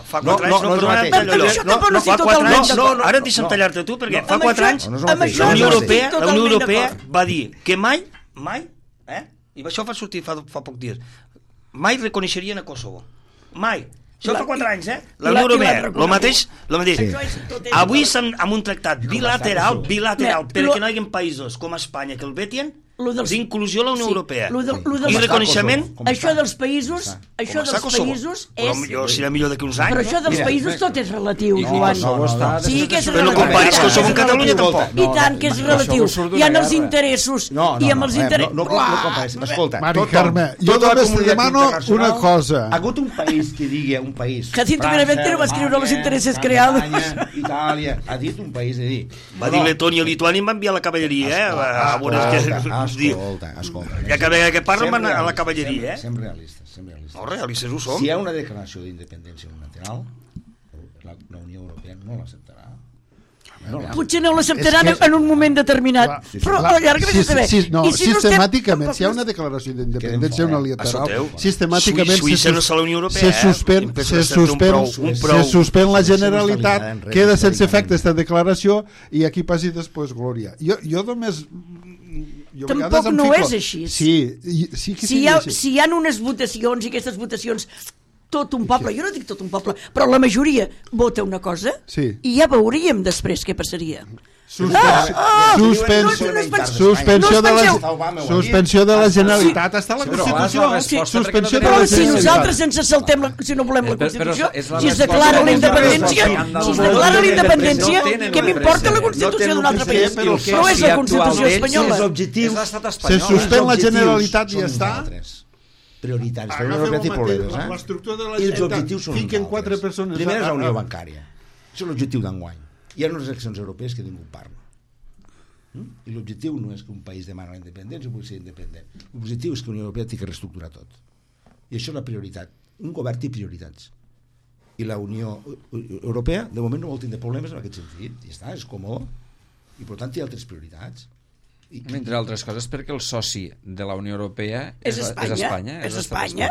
fa 4 anys... Ara deixa'm tallar-te tu, perquè fa 4 anys la Unió Europea va dir que mai, i això va sortir fa poc dies, mai reconeixerien a Kosovo. Mai. Això fa 4 anys, La Unió Europea, el mateix. Avui amb un tractat bilateral, perquè no hi hagi països com Espanya que el vetien, d'inclusió a la Unió Europea i reconeixement. Això dels països és... Serà millor d'aquí uns anys. Però això dels països tot és relatiu, Joan. Sí que és relatiu. Però no comparis Kosovo amb Catalunya tampoc. I tant que és relatiu. Hi ha els interessos i amb els interessos... No comparis. Escolta, Mari Carme, jo només li demano una cosa. Ha hagut un país que digui, un país... Jacinto Benavente va escriure los intereses creados. Itàlia, ha dit un país de dir... Va dir Letònia i Lituània i va enviar la cavalleria, Escolta. Ja que ve que parlen van a la cavalleria, Sempre realistes. No, realistes ho som. Si hi ha una declaració d'independència unilateral, la Unió Europea no l'acceptarà. Potser no l'acceptaran en un moment determinat, però a la llarga vés a saber. Sistemàticament, si hi ha una declaració d'independència unilateral, sistemàticament se suspèn la Generalitat, queda sense efecte aquesta declaració i aquí passi després glòria. Jo només... Tampoc no és així. Si hi ha unes votacions i aquestes votacions tot un poble, jo no dic tot un poble, però la majoria vota una cosa i ja veuríem després què passaria. Suspensió de la Generalitat està a la Constitució. Però si nosaltres ens saltem, si no volem la Constitució, si es declara la independència, què m'importa la Constitució d'un altre país? No és la Constitució espanyola. Se suspèn la Generalitat i ja està. Prioritaris, la Unió Europea té problemes, l'estructura de la i els objectius són fiquen 4 persones. Primer és la Unió Bancària, això és l'objectiu d'enguany. Hi ha unes eleccions europees que ningú parla i l'objectiu no és que un país demana la independència o pugui ser independent, l'objectiu és que la Unió Europea té que reestructurar tot i això és la prioritat. Un govern té prioritats i la Unió Europea de moment no vol tindre problemes en aquest sentit i està, és còmode i per tant té altres prioritats. Entre altres coses perquè el soci de la Unió Europea és Espanya. Espanya,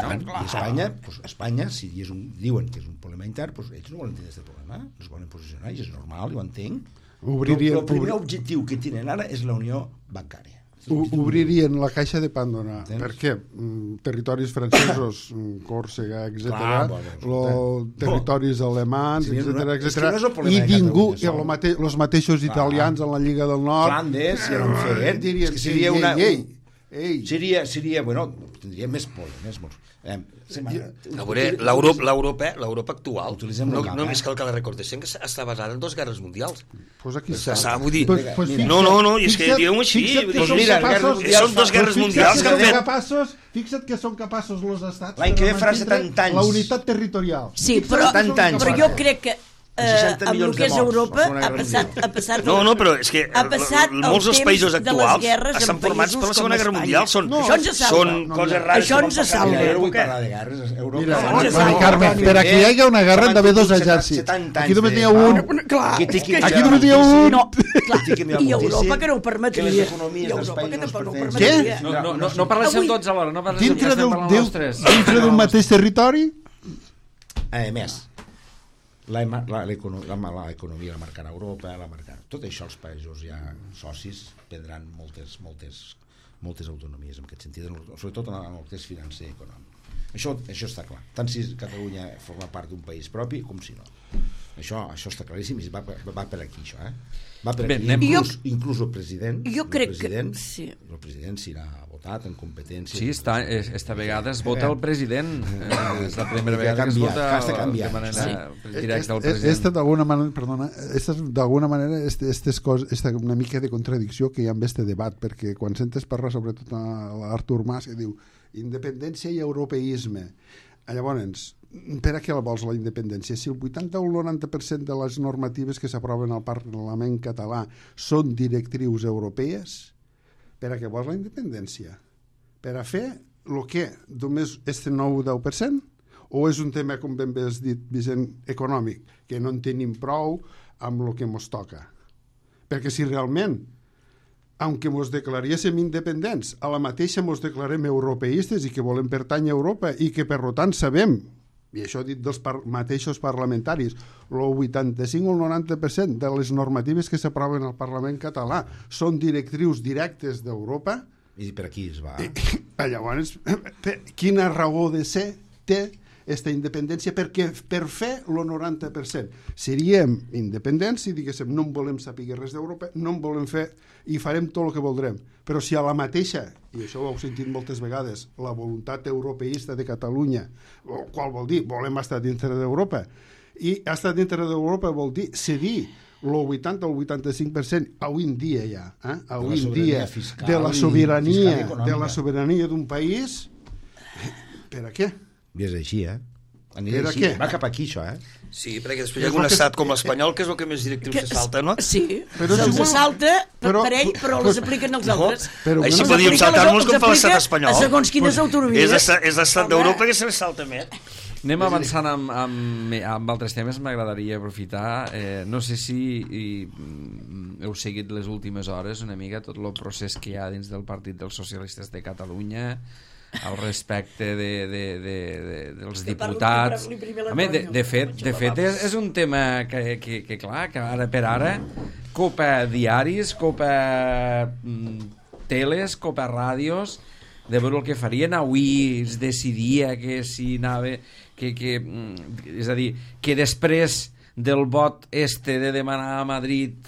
si diuen que és un problema intern, ells no volen tenir aquest problema, no es volen posicionar, i és normal, jo ho entenc. El primer objectiu que tenen ara és la Unió Bancària. Obririen la caixa de Pandora. Per què? Territoris francesos, Còrsega, etc., territoris alemans, etc., i ningú, els mateixos italians en la Lliga del Nord, Flandes, ja no ho feien, dirien, seria, bueno, tindria més problemes, l'Europa actual només cal que la recordessin que està basada en 2 guerres mundials. Pues aquí està. Vull dir, no, és que digueu-ho així, són 2 guerres mundials que han fet. Fixa't que són capaços els estats l'any que ve farà 70 anys la unitat territorial. Sí, però jo crec que 60 amb el milions que de és morts, Europa la Segona Guerra ha passat No, però és que ha passat el molts dels temps països de les actuals guerres en estan formats per la països Segona com Guerra Espanya. Mundial. Això ens salva. Són coses rares Això que ens van passar salva. en aquella Jo no vull època. parlar de guerres. Europa... Mira, Això ens Mari salva. Carmen, per a que hi hagi una guerra han d'haver dos exèrcits. Aquí només n'hi ha un. Clar, Aquí només n'hi ha un. No, clar, i Europa que no ho permetria. Que les economies I dels Europa que països tampoc no ho no es permetria. No parlem tots alhora, no parlem Dintre estem parlant els tres. d'un mateix territori. A més, l'economia la marcarà Europa, tot això els països ja socis prendran moltes autonomies en aquest sentit, sobretot en el que és financer i econòmic. Això està clar, tant si Catalunya forma part d'un país propi com si no. Això està claríssim i va per aquí, això, va per aquí. Inclús el president, jo crec que sí. El president s'irà votat en competència. Sí, esta vegada es vota el president. És la primera vegada que es vota de manera directa el president. Esta d'alguna manera esta una mica de contradicció que hi ha amb este debat, perquè quan sentes parlar sobretot a l'Artur Mas que diu independència i europeisme, llavors per a què la vols la independència? Si el 80 o el 90% de les normatives que s'aproven al Parlament català són directrius europees, per a què vols la independència? Per a fer el que? Només este 9 o 10%? O és un tema, com ben bé has dit, Vicent, econòmic, que no en tenim prou amb el que mos toca? Perquè si realment, aunque mos declaréssim independents, a la mateixa mos declarem europeistes i que volem pertànyer a Europa i que per tant sabem, i això dit dels mateixos parlamentaris, el 85 o el 90% de les normatives que s'aproven al Parlament català són directrius directes d'Europa. I per aquí es va. Llavors, quina raó de ser té aquesta independència? Perquè per fer el 90% seríem independents si diguéssim no en volem saber res d'Europa, no en volem fer i farem tot el que voldrem. Però si a la mateixa, i això ho heu sentit moltes vegades, la voluntat europeista de Catalunya, qual vol dir? Volem estar dintre d'Europa. I estar dintre d'Europa vol dir cedir el 80 o el 85% avui en dia ja, avui en dia de la sobirania d'un país. Per a què? I és així, Per a què? Va cap aquí, això, Sí, perquè després hi ha un estat com l'espanyol que és el que més directrius se salta, no? Sí, se'ls salta per ell, però les apliquen els altres. Així podíem saltar-nos com fa l'estat espanyol. A segons quines autonomies. És l'estat d'Europa que se salta més. Anem avançant amb altres temes. M'agradaria aprofitar, no sé si heu seguit les últimes hores una mica tot el procés que hi ha dins del Partit dels Socialistes de Catalunya al respecte dels diputats. Home, de fet és un tema que clar, que ara per ara copa diaris, copa teles, copa ràdios, de veure el que farien. Avui es decidia que si anava és a dir, que després del vot de demanar a Madrid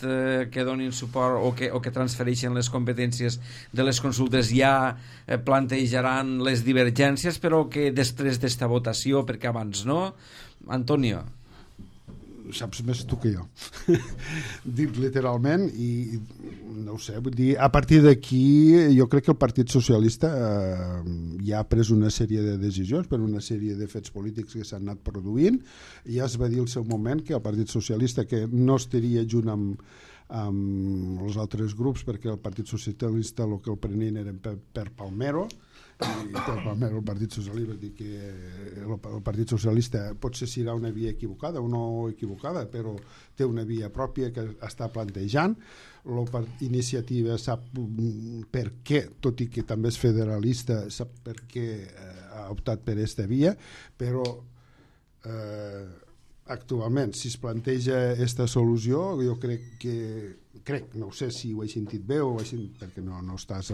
que donin suport o que transfereixen les competències de les consultes, ja plantejaran les divergències, però que després d'esta votació, perquè abans no. Antonio, saps més tu que jo. Dit literalment, i no ho sé, vull dir, a partir d'aquí jo crec que el Partit Socialista ja ha pres una sèrie de decisions per una sèrie de fets polítics que s'han anat produint, i ja es va dir al seu moment que el Partit Socialista que no estaria junt amb els altres grups, perquè el Partit Socialista el que el prenien era per Palmero, i el Partit Socialista dir que el Partit Socialista potser serà una via equivocada o no equivocada, però té una via pròpia que està plantejant. Iniciativa sap per què, tot i que també és federalista, sap per què ha optat per aquesta via, però actualment si es planteja aquesta solució, jo crec, no sé si ho he sentit bé o perquè no estàs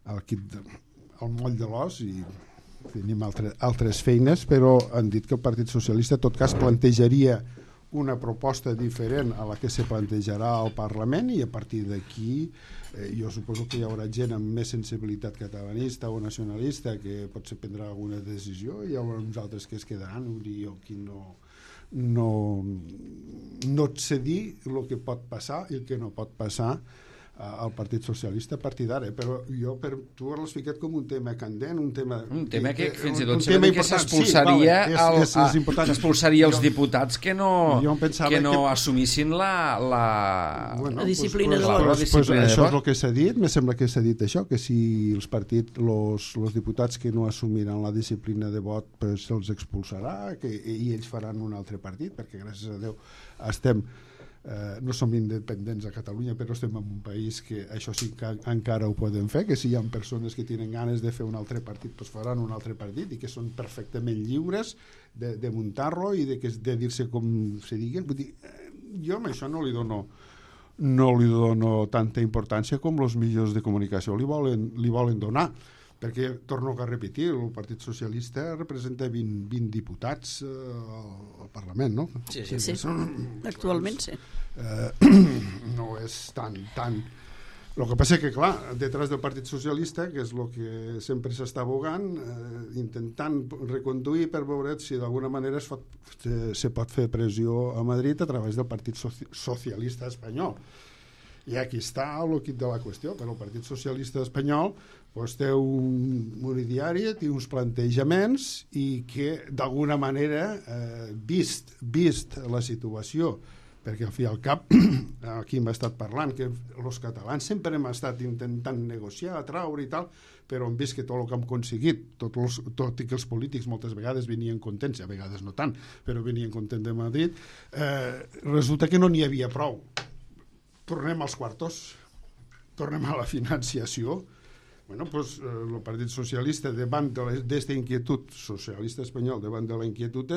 al moll de l'os i tenim altres feines, però han dit que el Partit Socialista en tot cas plantejaria una proposta diferent a la que se plantejarà al Parlament, i a partir d'aquí jo suposo que hi haurà gent amb més sensibilitat catalanista o nacionalista que potser prendrà alguna decisió, i hi haurà uns altres que es quedaran. Jo aquí no et sé dir el que pot passar i el que no pot passar al Partit Socialista a partir d'ara, però tu l'has ficat com un tema candent, un tema que fins i tot sembla que s'expulsaria els diputats que no assumissin la disciplina de vot. Això és el que s'ha dit, me sembla que s'ha dit això, que si els diputats que no assumiran la disciplina de vot se'ls expulsarà i ells faran un altre partit, perquè gràcies a Déu no som independents a Catalunya, però estem en un país que això sí que encara ho poden fer, que si hi ha persones que tenen ganes de fer un altre partit, doncs faran un altre partit i que són perfectament lliures de muntar-lo i de dir-se com se diguen. Vull dir, jo amb això no li dono tanta importància com els mitjans de comunicació li volen donar, perquè, torno a repetir, el Partit Socialista representa 20 diputats al Parlament, no? Sí. Actualment sí. No és tan... El que passa que, clar, detrás del Partit Socialista, que és el que sempre s'està abogant, intentant reconduir per veure si d'alguna manera se pot fer pressió a Madrid a través del Partit Socialista espanyol. I aquí està el quid de la qüestió, però el Partit Socialista espanyol té un ideari, té uns plantejaments i que d'alguna manera, vist la situació, perquè al fi i al cap aquí hem estat parlant que els catalans sempre hem estat intentant negociar, atraure i tal, però hem vist que tot el que hem aconseguit, tot i que els polítics moltes vegades venien contents, a vegades no tant, però venien contents de Madrid, resulta que no n'hi havia prou. Tornem als quartos, tornem a la financiació. El Partit Socialista, davant d'esta inquietud, socialista espanyol, davant de la inquietud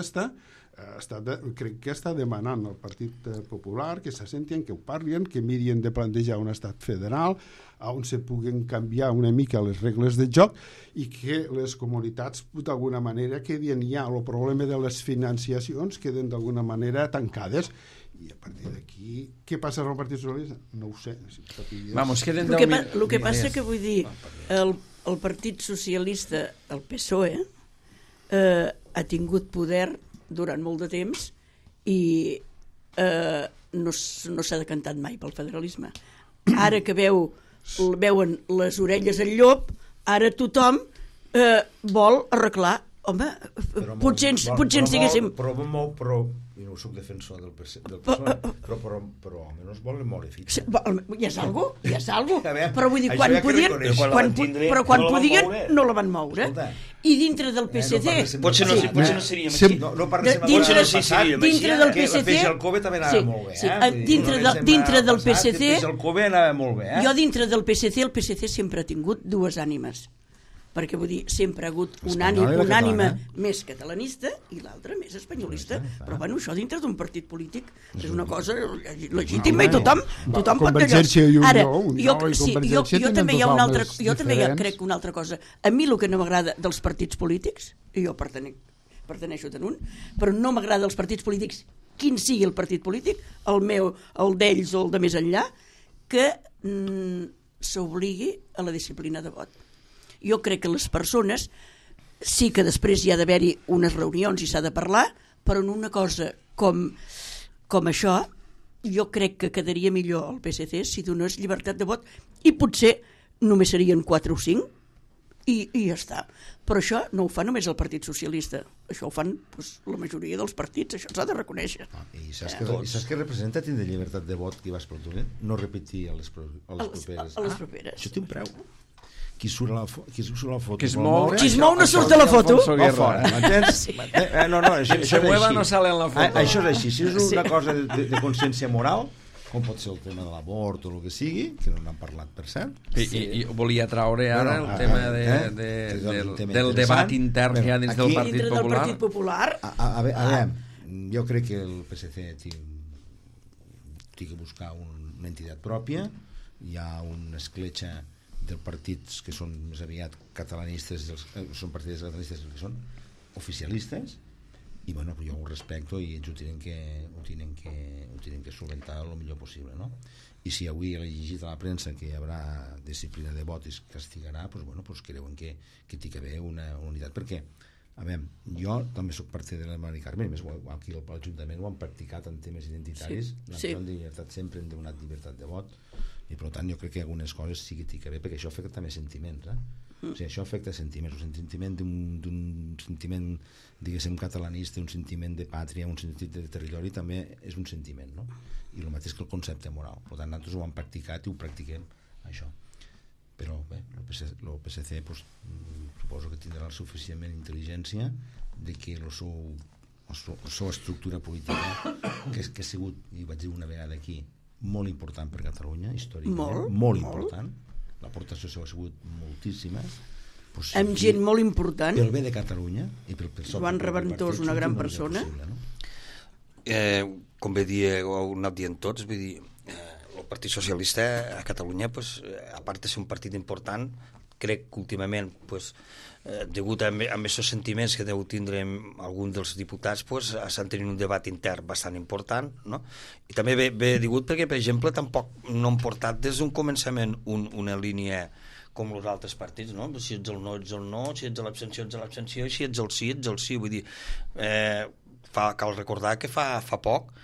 crec que està demanant al Partit Popular que s'assentien, que ho parlin, que mirin de plantejar un estat federal on se puguen canviar una mica les regles de joc i que les comunitats d'alguna manera quedin ja, el problema de les financiacions queden d'alguna manera tancades. I a partir d'aquí, què passa al Partit Socialista? No ho sé. El que passa que vull dir, el Partit Socialista, el PSOE, ha tingut poder durant molt de temps i no s'ha decantat mai pel federalisme. Ara que veuen les orelles al llop, ara tothom vol arreglar. Home, potser ens diguéssim... Però jo no soc defensor del PSOE, però almenys volen moure fitxa. Ja és algo, però vull dir, quan podien no la van moure. I dintre del PSC... Potser no seríem així. No parlem de dintre del PSC... El COVE també anava molt bé. Dintre del PSC... El COVE anava molt bé. Jo dintre del PSC, el PSC sempre ha tingut dues ànimes. Perquè vull dir, sempre ha hagut una ànima més catalanista i l'altra més espanyolista, però bueno, això dintre d'un partit polític és una cosa legítima i tothom pot dir. Ara, jo també hi ha una altra, jo també crec una altra cosa. A mi el que no m'agrada dels partits polítics, i jo pertaneixo tant un, però no m'agrada els partits polítics, quin sigui el partit polític, el meu, el d'ells o el de més enllà, que s'obligui a la disciplina de vot. Jo crec que les persones sí que després hi ha d'haver-hi unes reunions i s'ha de parlar, però en una cosa com això jo crec que quedaria millor al PSC si donés llibertat de vot i potser només serien 4 o 5 i ja està. Però això no ho fa només el Partit Socialista, això ho fan la majoria dels partits, això s'ha de reconèixer. I saps què representa tindre llibertat de vot que vas per tu? No repetir a les properes. Això té un preu. Qui surt a la foto qui es mou no surt a la foto m'entens? No, això és així. No sale en la foto. Això és així, si és una cosa de consciència moral, com pot ser el tema de l'abort o el que sigui, que no n'han parlat per cert, i volia traure ara el tema del debat intern que hi ha dins del Partit Popular. A veure, jo crec que el PSC té que buscar una entitat pròpia, hi ha una escletxa dels partits que són més aviat catalanistes, són partits catalanistes que són oficialistes, i bueno, jo ho respecto i ells ho tenen que solventar el millor possible, no? I si avui he llegit a la premsa que hi haurà disciplina de vot i es castigarà, doncs bueno, creuen que té que haver una unitat, perquè a veure, jo també soc part de la Mari Carmen, més aquí a l'Ajuntament ho han practicat en temes identitaris, la llibertat sempre hem donat llibertat de vot, i per tant jo crec que algunes coses sí que t'hi bé, perquè això afecta també sentiments, o sigui, això afecta sentiments, un sentiment d'un sentiment, diguéssim, catalanista, un sentiment de pàtria, un sentit de territori, també és un sentiment, no? I el mateix que el concepte moral. Per tant, nosaltres ho hem practicat i ho practiquem, això. Però bé, el PSC pues, suposo que tindrà la suficientment intel·ligència de que la seva estructura política, que ha sigut, i vaig dir una vegada aquí, molt important per Catalunya, històricament, molt important, l'aportació seva ha sigut moltíssima, pues, amb gent molt important, pel bé de Catalunya i pel Joan Reventós, una gran persona, com bé dir, ho heu anat dient tots, vull dir, el Partit Socialista a Catalunya, pues, a part de ser un partit important, crec que últimament, pues, degut a aquests sentiments que deu tindre alguns dels diputats, pues, estan tenint un debat intern bastant important, no? I també ve degut perquè, per exemple, tampoc no han portat des d'un començament una línia com els altres partits, no? Si ets el no, ets el no, si ets l'abstenció, ets l'abstenció, i si ets el sí, ets el sí. Vull dir, cal recordar que fa poc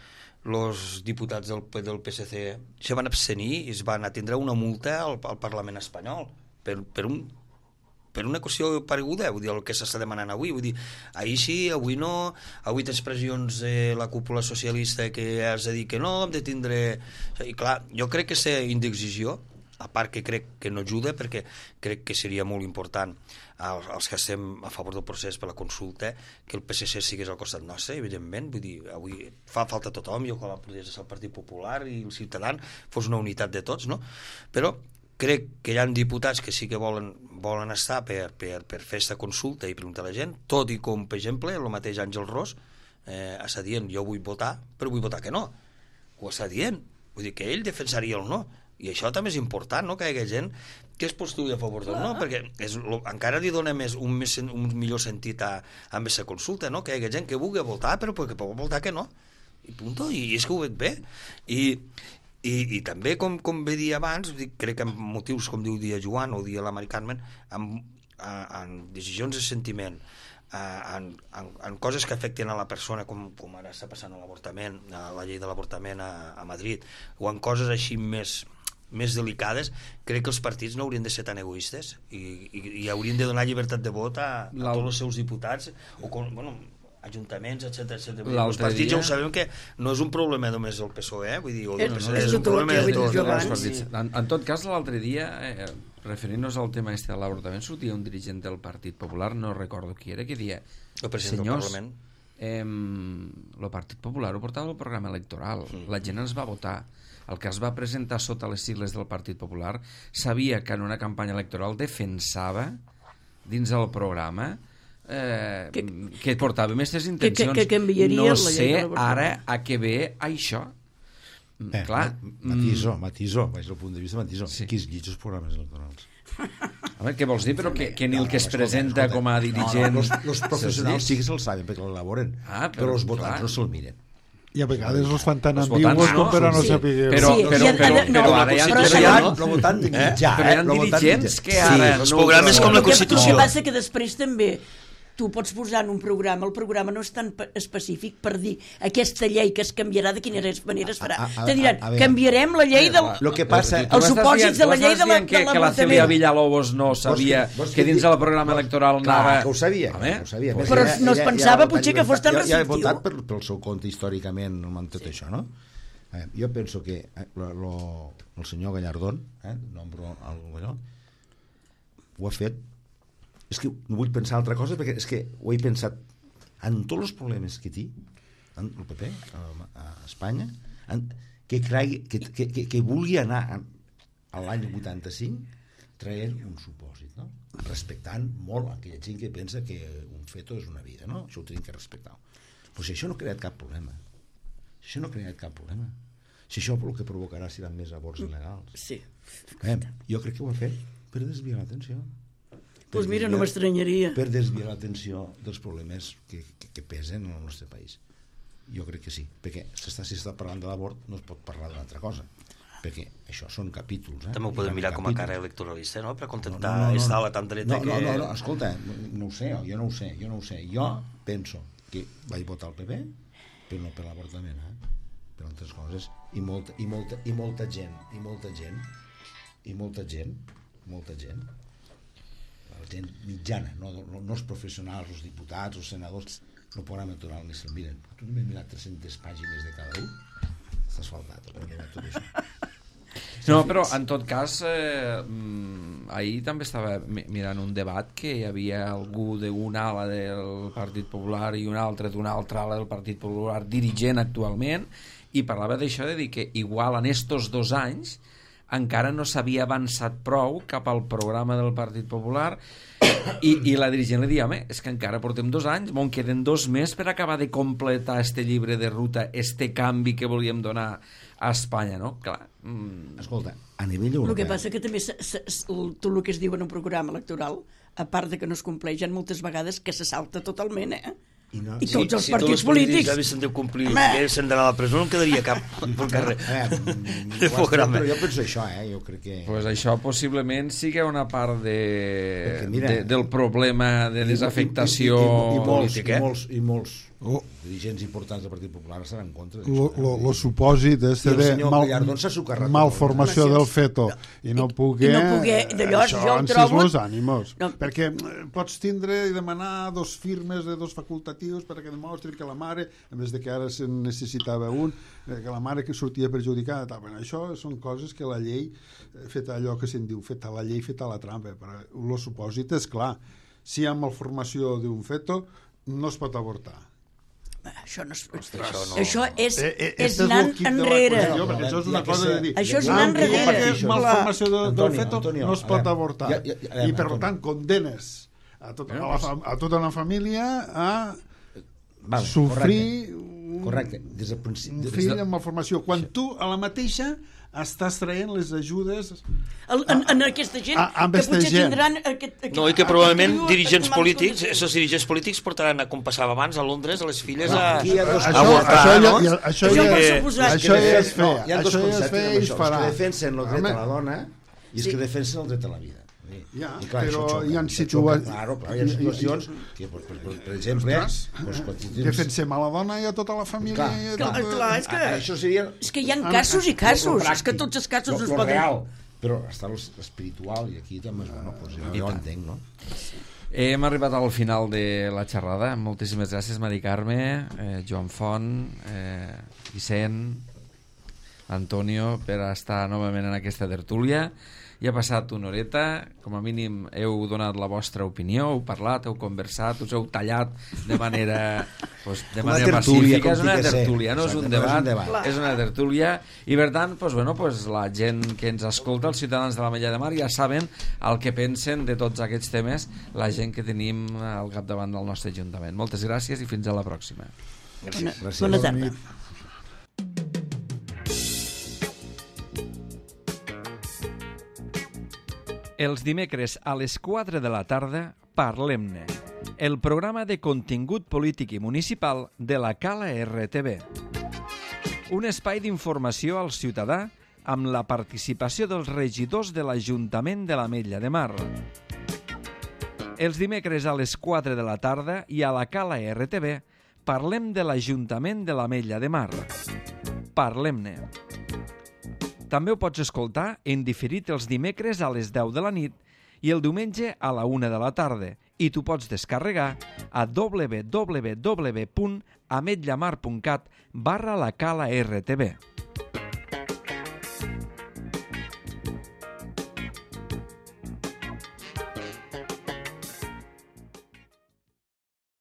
els diputats del PSC se van abstenir i es van atendre una multa al Parlament espanyol per una qüestió pareguda, vull dir, el que s'està demanant avui. Vull dir, ahir sí, avui no, avui tens pressions de la cúpula socialista que has de dir que no, hem de tindre... I clar, jo crec que aquesta indecisió, a part que crec que no ajuda, perquè crec que seria molt important als que estem a favor del procés per la consulta, que el PSC sigués al costat nostre, evidentment. Vull dir, avui fa falta tothom, jo com a podria ser el Partit Popular i el Ciutadans, fos una unitat de tots, no? Però crec que hi ha diputats que sí que volen estar per fer aquesta consulta i preguntar a la gent, tot i com, per exemple, el mateix Àngel Ros està dient, jo vull votar, però vull votar que no. Ho està dient. Vull dir que ell defensaria el no. I això també és important, no? Que hi hagi gent que es postuli a favor del no, perquè encara li dona un millor sentit a aquesta consulta, no? Que hi hagi gent que vulgui votar, però que pot votar que no. I punto. I és que ho veig bé. I també, com bé dir abans, crec que en motius, com diu dia Joan o dia la Mari Carmen, en decisions de sentiment, en coses que afecten a la persona, com ara està passant a l'avortament, a la llei de l'avortament a Madrid, o en coses així més delicades, crec que els partits no haurien de ser tan egoistes i haurien de donar llibertat de vot a tots els seus diputats o ajuntaments, etc. Els partits ja ho sabem que no és un problema només del PSOE, vull dir, és un problema de tots. En tot cas, l'altre dia, referint-nos al tema de l'avortament, sortia un dirigent del Partit Popular, no recordo qui era, que deia, el president del Parlament, el Partit Popular ho portava al programa electoral, la gent ens va votar, el que es va presentar sota les sigles del Partit Popular sabia que en una campanya electoral defensava dins del programa que portava aquestes intencions. Que enviaria no sé ara a què ve això. Clar, matisó, vaig al punt de vista matisó. Sí. Qui es llig els programes electorals? A veure, què vols dir? Però que ni el que es presenta com a dirigent... Els professionals sí que se'l saben perquè l'elaboren, però els votants no se'l miren. I a vegades els fan tan ambigus com per a no saber... Però ara hi ha dirigents que ara... Els programes com la Constitució. El que passa que després també tu pots posar en un programa, el programa no és tan específic per dir aquesta llei que es canviarà, de quina manera es farà. Te diran, canviarem la llei dels supòsits de la llei de l'avortament. Que la Celia Villalobos no sabia que dins del programa electoral anava... Clar, que ho sabia. Però no es pensava potser que fos tan restrictiu. Ja he votat pel seu compte històricament amb tot això, no? Jo penso que el senyor Gallardón, ho ha fet. És que no vull pensar altra cosa perquè és que ho he pensat en tots els problemes que té el PP a Espanya, que vulgui anar a l'any 85 traient un supòsit, no? Respectant molt aquella gent que pensa que un feto és una vida, no? Això ho tenim que respectar. Però si això no ha creat cap problema, si això el que provocarà seran més avorts il·legals, jo crec que ho ha fet per desviar l'atenció. Doncs mira, no m'estranyaria. Per desviar l'atenció dels problemes que pesen en el nostre país. Jo crec que sí, perquè si s'està parlant de l'avort no es pot parlar d'una altra cosa, perquè això són capítols. També ho podem mirar com a cara electoralista, no? Per contentar estar a la tan dreta que... No, escolta, no ho sé, jo no ho sé. Jo penso que vaig votar el PP, però no per l'avortament, per altres coses, i molta gent, la gent mitjana, no els professionals, els diputats, els senadors, no poden aturar ni se'l miren. Tu només mirat 300 pàgines de cada un, estàs faltat, perquè tot això. No, però en tot cas ahir també estava mirant un debat que hi havia algú d'una ala del Partit Popular i un altre d'una altra ala del Partit Popular dirigent actualment, i parlava d'això, de dir que igual en estos 2 anys encara no s'havia avançat prou cap al programa del Partit Popular, i la dirigent li deia, home, és que encara portem 2 anys, me'n queden 2 més per acabar de completar este llibre de ruta, este canvi que volíem donar a Espanya, no? Clar. Escolta, a nivell europeu... El que passa que també tot el que es diu en un programa electoral, a part de que no es compleix, hi ha moltes vegades que se salta totalment, I tots els partits polítics. Si haguessin de complir, que haguessin d'anar a la presó, no en quedaria cap pel carrer de programa. Però jo penso això, jo crec que... Pues això possiblement sigui una part del problema de desafectació política. I molts dirigents importants del Partit Popular estan en contra d'això. Lo supòsit és de malformació del feto i no poder això en los ànimos, perquè pots tindre i demanar 2 firmes de 2 facultatius perquè demostri que la mare, en vez de que ara se'n necessitava un, que la mare que sortia perjudicada, això són coses que la llei, feta allò que se'n diu, feta la llei, feta la trampa, però el supòsit és clar, si hi ha malformació d'un feto no es pot avortar. Això no és... Això és anant enrere. Això és una cosa de dir... Això és anar enrere. Malformació del feto no es pot avortar. I per tant condenes a tota una família a sofrir un fill amb malformació. Quan tu a la mateixa estàs traient les ajudes en aquesta gent que potser tindran no, i que probablement dirigents polítics, esos dirigents polítics portaran, com passava abans a Londres, a les filles a avortar, no? Això ja es feia. Hi ha 2 conceptes amb això, els que defensen el dret a la dona i els que defensen el dret a la vida. Però hi ha situacions que, per exemple, defensem a la dona i a tota la família. És que hi ha casos i casos, és que tots els casos es poden... Però està l'espiritual, i aquí també jo entenc, no? Hem arribat al final de la xerrada. Moltíssimes gràcies, Mari Carme, Joan Font, Vicent, Antonio, per estar novament en aquesta tertúlia. Ja ha passat una horeta, com a mínim heu donat la vostra opinió, heu parlat, heu conversat, us heu tallat de manera pacífica. És una tertúlia, no és un debat, és una tertúlia, i per tant, la gent que ens escolta, els ciutadans de l'Ametlla de Mar, ja saben el que pensen de tots aquests temes, la gent que tenim al capdavant del nostre Ajuntament. Moltes gràcies i fins a la pròxima. Bona tarda. Els dimecres a les 4 de la tarda, Parlem-ne, el programa de contingut polític i municipal de la Cala RTV. Un espai d'informació al ciutadà amb la participació dels regidors de l'Ajuntament de l'Ametlla de Mar. Els dimecres a les 4 de la tarda i a la Cala RTV parlem de l'Ajuntament de l'Ametlla de Mar. Parlem-ne. També ho pots escoltar en diferit els dimecres a les 10 de la nit i el diumenge a la 1 de la tarda, i tu pots descarregar a www.ametllamar.cat/la Cala RTV.